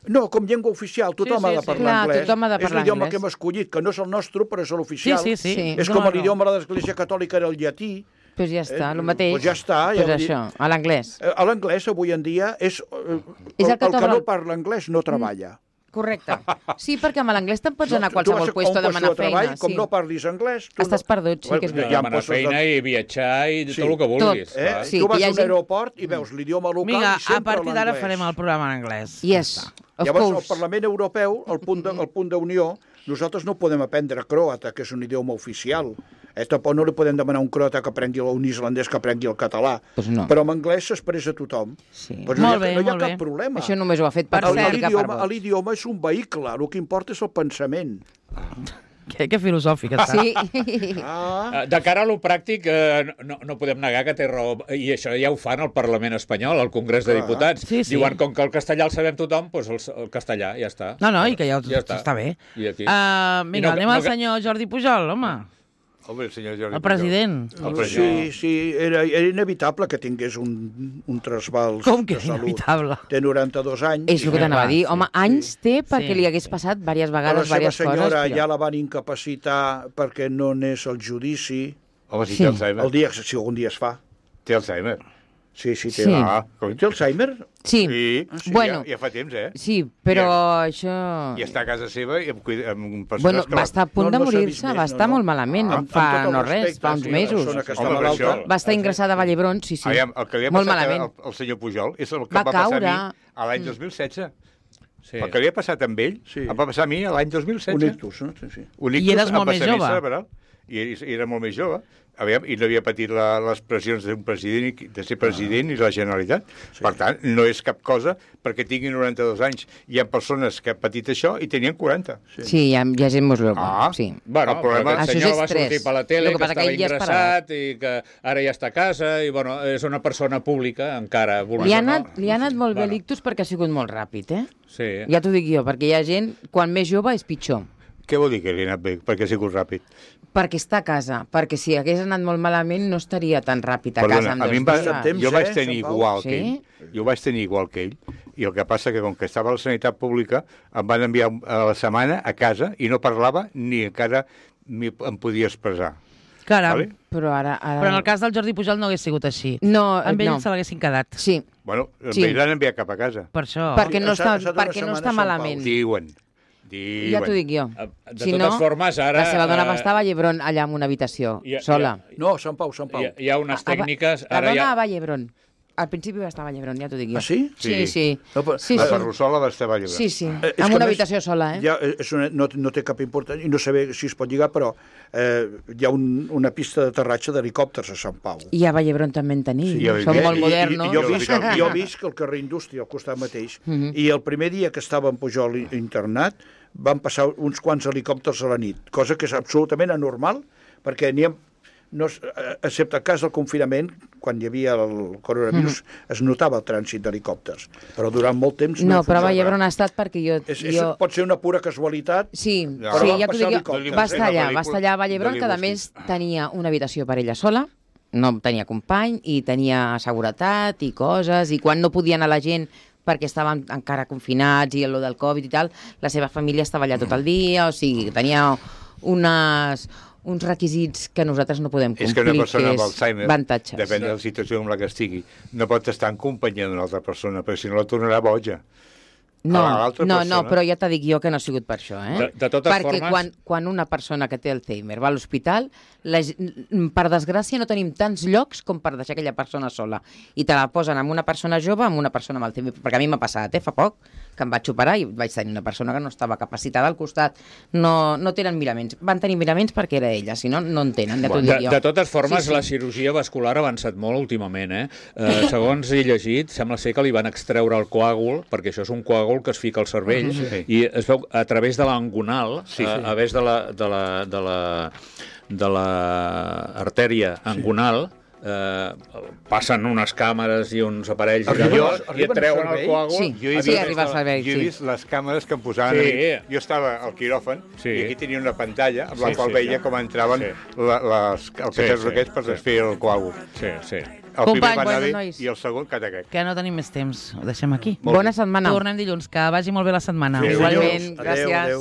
No, com llengua oficial, tothom Sí, sí, ha de sí. parlar Clar, anglès. tothom ha de És parlar l'idioma anglès. que hem escollit, que no és el nostre, però és Sí, l'oficial. sí, sí. Sí. És No, com no. l'idioma de l'Església Catòlica era el llatí. Pues ja està, Eh, el mateix. pues ja està, ja Pues vull dir- això, a l'anglès. Eh, A l'anglès, avui en dia, és, eh, És el, el que el que t'obre- no parla anglès no treballa. Correcte. Sí, perquè amb l'anglès te'n pots anar a tu- tu vas qualsevol puesto a un puesto demanar de treball, feina. com Sí. no parlis anglès... Tu Estàs no... perdut, sí que és Bueno, veritat. hi ha demanar postos de- feina i viatjar i Sí. tot el que vulguis. Tot. Eh? clar. Sí, tu que vas hi a un hagi- aeroport i veus l'idioma local Vinga, i sempre a partir d'ara l'anglès. farem el programa en anglès. Yes, of Llavors, el course. Parlament Europeu, el punt de, el punt d'unió, nosaltres no podem aprendre croata, que és un idioma oficial. Eh, tampoc no li podem demanar a un croata que aprengui, o un islandès que aprengui el català. Pues no. Però en anglès s'expressa tothom. Sí. Pues no, Molt hi ha, bé, no hi ha molt cap bé. problema. Això només ho ha fet per Per El- cert, cert, que per L'idioma vots. l'idioma és un vehicle, el que importa és el pensament. Que, que filosòfic està. Sí. Ah, Eh, De cara a lo pràctic, eh, no, no podem negar que té raó, i això ja ho fan al Parlament espanyol, al Congrés de Clar. Diputats. Sí, sí. Diuen, com que el castellà el sabem tothom, doncs el, el castellà, ja està. No, no, i que ja, Ja està. està bé. I aquí? Uh, vinga, I no- anem no al que- senyor Jordi Pujol, home. Home, el senyor Jordi El president. Pujol. El president. Sí, sí, era, era inevitable que tingués un, un trasbals Com que de és salut. inevitable? Té noranta-dos anys. És el que t'anava a dir. sí, Home, anys té perquè Sí. li hagués passat diverses A la vegades, seva diverses senyora coses. ja la van incapacitar perquè no n'és el judici. Home, si Sí. té Alzheimer. El dia, si algun dia es fa. Té Alzheimer. Sí, sí, té. Sí. Ah, com... Té Alzheimer? Sí, Sí, sí, bueno. ja, ja fa temps, eh? sí, però I- això... I està a casa seva i amb, cuida- amb persones Bueno, que... va la- estar a punt No, de no s'ha vist morir-se, més, va no, estar no. molt malament, Amb- amb fa tot el no res, respecte, fa uns sí, una mesos. persona que està Home, per malalta. això. Va estar ingressada a Vallebron, sí, sí. Aviam, el que li ha Molt passat malament. al, al senyor Pujol és el que Va em va passar caure. a mi a l'any dos mil setze. Sí. El que li ha passat amb ell Sí. em va passar a mi a l'any dos mil setze. Un ictus, no? Sí, sí. Un I ictus eres molt amb més vessament jove. cerebral. I, I era molt més jove. Aviam, i no havia patit la, les pressions d'un president, i- de ser president i la Generalitat. Sí. Per tant, no és cap cosa perquè tingui noranta-dos anys. Hi ha persones que han patit això i tenien quaranta. Sí, hi ha, hi ha gent molt jove, Ah. sí. Bueno, El problema- però aquest Això és senyor va estrès. sortir per la tele, El que que, passa que estava ell ja és ingressat i que ara ja està a casa i, bueno, és una persona pública, encara. Li ha anat, no? li ha anat molt bé Bueno. l'ictus perquè ha sigut molt ràpid, eh? Sí. Ja t'ho dic jo, perquè hi ha gent, quan més jove és pitjor. Què vol dir que li ha anat bé? Perquè ha sigut ràpid. Perquè està a casa, perquè si hagués anat molt malament no estaria tan ràpid a Perdona, casa amb a dos mi em va, dies. Temps, jo eh, vaig tenir Sant Pau? igual Sí? que ell. Jo vaig tenir igual que ell. I el que passa que com que estava a la sanitat pública em van enviar a la setmana a casa i no parlava ni encara m'hi- em podia expressar. Caram. Vale? Però ara... ara... Però en el cas del Jordi Pujol no hagués sigut així. No, Amb ell no. se l'haguessin quedat. Sí, Bueno, amb Sí. ell l'han enviat cap a casa. Per això. perquè no ha està, estat una perquè no setmana està a Sant malament. Diuen. Diuen. Ja t'ho dic jo. Eh, de Si totes no, formes, ara, la seva dona eh, va estar a Vallebron allà en una habitació, hi ha- sola. hi No, Sant Pau, Sant Pau. Hi ha, hi ha unes A- a- tècniques... La Ara dona ja... a Vallebron. Al principi va estar a Vallebron, ja t'ho dic jo. Ah, sí? Sí, Sí. sí. No, però- Sí, La sí. Ferrusola va estar a Vallebron. Sí, sí. Eh, és En que una a més, habitació sola, eh? Ja, és una, no, no té cap importància, i no sé si es pot lligar, però eh, hi ha un, una pista d'aterratge d'helicòpters a Sant Pau. I a Vallebron també en tenim. Sí, jo he Som vist. molt I- modernos. I, i, jo, Jo visc, he vist. jo visc al carrer Indústria, al costat mateix, Mhm. i el primer dia que estava en Pujol i- internat van passar uns quants helicòpters a la nit, cosa que és absolutament anormal, perquè n'hi ha, no, es- eh, excepte el cas del confinament, quan hi havia el coronavirus, es notava el trànsit d'helicòpters, però durant molt temps No, no però a funcionava. Vallebron ha estat perquè jo... És, és, jo... Pot ser una pura casualitat. Sí, No, sí, però ja van t'ho dic passar jo. helicòpters, Va eh? estar allà, La va estar allà a Vallebron, pel·lícula que a de més tenia una habitació per ella sola, no tenia company i tenia seguretat i coses, i quan no podia anar la gent perquè estaven encara confinats i el del Covid i tal, la seva família estava allà tot el dia, o sigui, tenia unes, uns requisits que nosaltres no podem complir, És que una persona amb és Alzheimer, avantatges. depèn de la situació en la que estigui, no pot estar en companyia d'una altra persona, perquè si no la tornarà boja. No, a l'altra no, persona. no, però ja t'ha dic jo que no ha sigut per això, eh? De- de totes Perquè formes- quan, quan una persona que té Alzheimer va a l'hospital, la ge- per desgràcia no tenim tants llocs com per deixar aquella persona sola. I te la posen amb una persona jove, amb una persona amb Alzheimer. Perquè a mi m'ha passat, eh, fa poc, que em vaig operar i vaig tenir una persona que no estava capacitada al costat. No, no tenen miraments. Van tenir miraments perquè era ella, si no, no en tenen, ja t'ho De, dic jo. de totes formes, Sí, sí. la cirurgia vascular ha avançat molt últimament, eh? eh? Segons he llegit, sembla ser que li van extreure el coàgul, perquè això és un coàgul que es fica al cervell, Sí. i es veu a través de l'angonal, Sí, sí. a, a través de la, de la, de la, de la artèria angonal, eh, passen unes càmeres i uns aparells i, Arriben allò, al- i et arriben al treuen el cervell? coàgul. Sí. Jo he Sí, vist, arriba al cervell, jo he sí. vist les càmeres que em posaven Sí. a mi. Jo estava al quiròfan Sí. i aquí tenia una pantalla amb la Sí, qual sí, veia sí. com entraven Sí. la, les, els caixers sí, aquests per sí. desfer el coàgul. Sí, sí. El Company, primer va anar bueno, bé nois. i el segon cataquec. Que no tenim més temps. Ho deixem aquí. Molt Bona bé. setmana. Tornem dilluns. Que vagi molt bé la setmana. Sí, Igualment, Adéu, gràcies. adéu.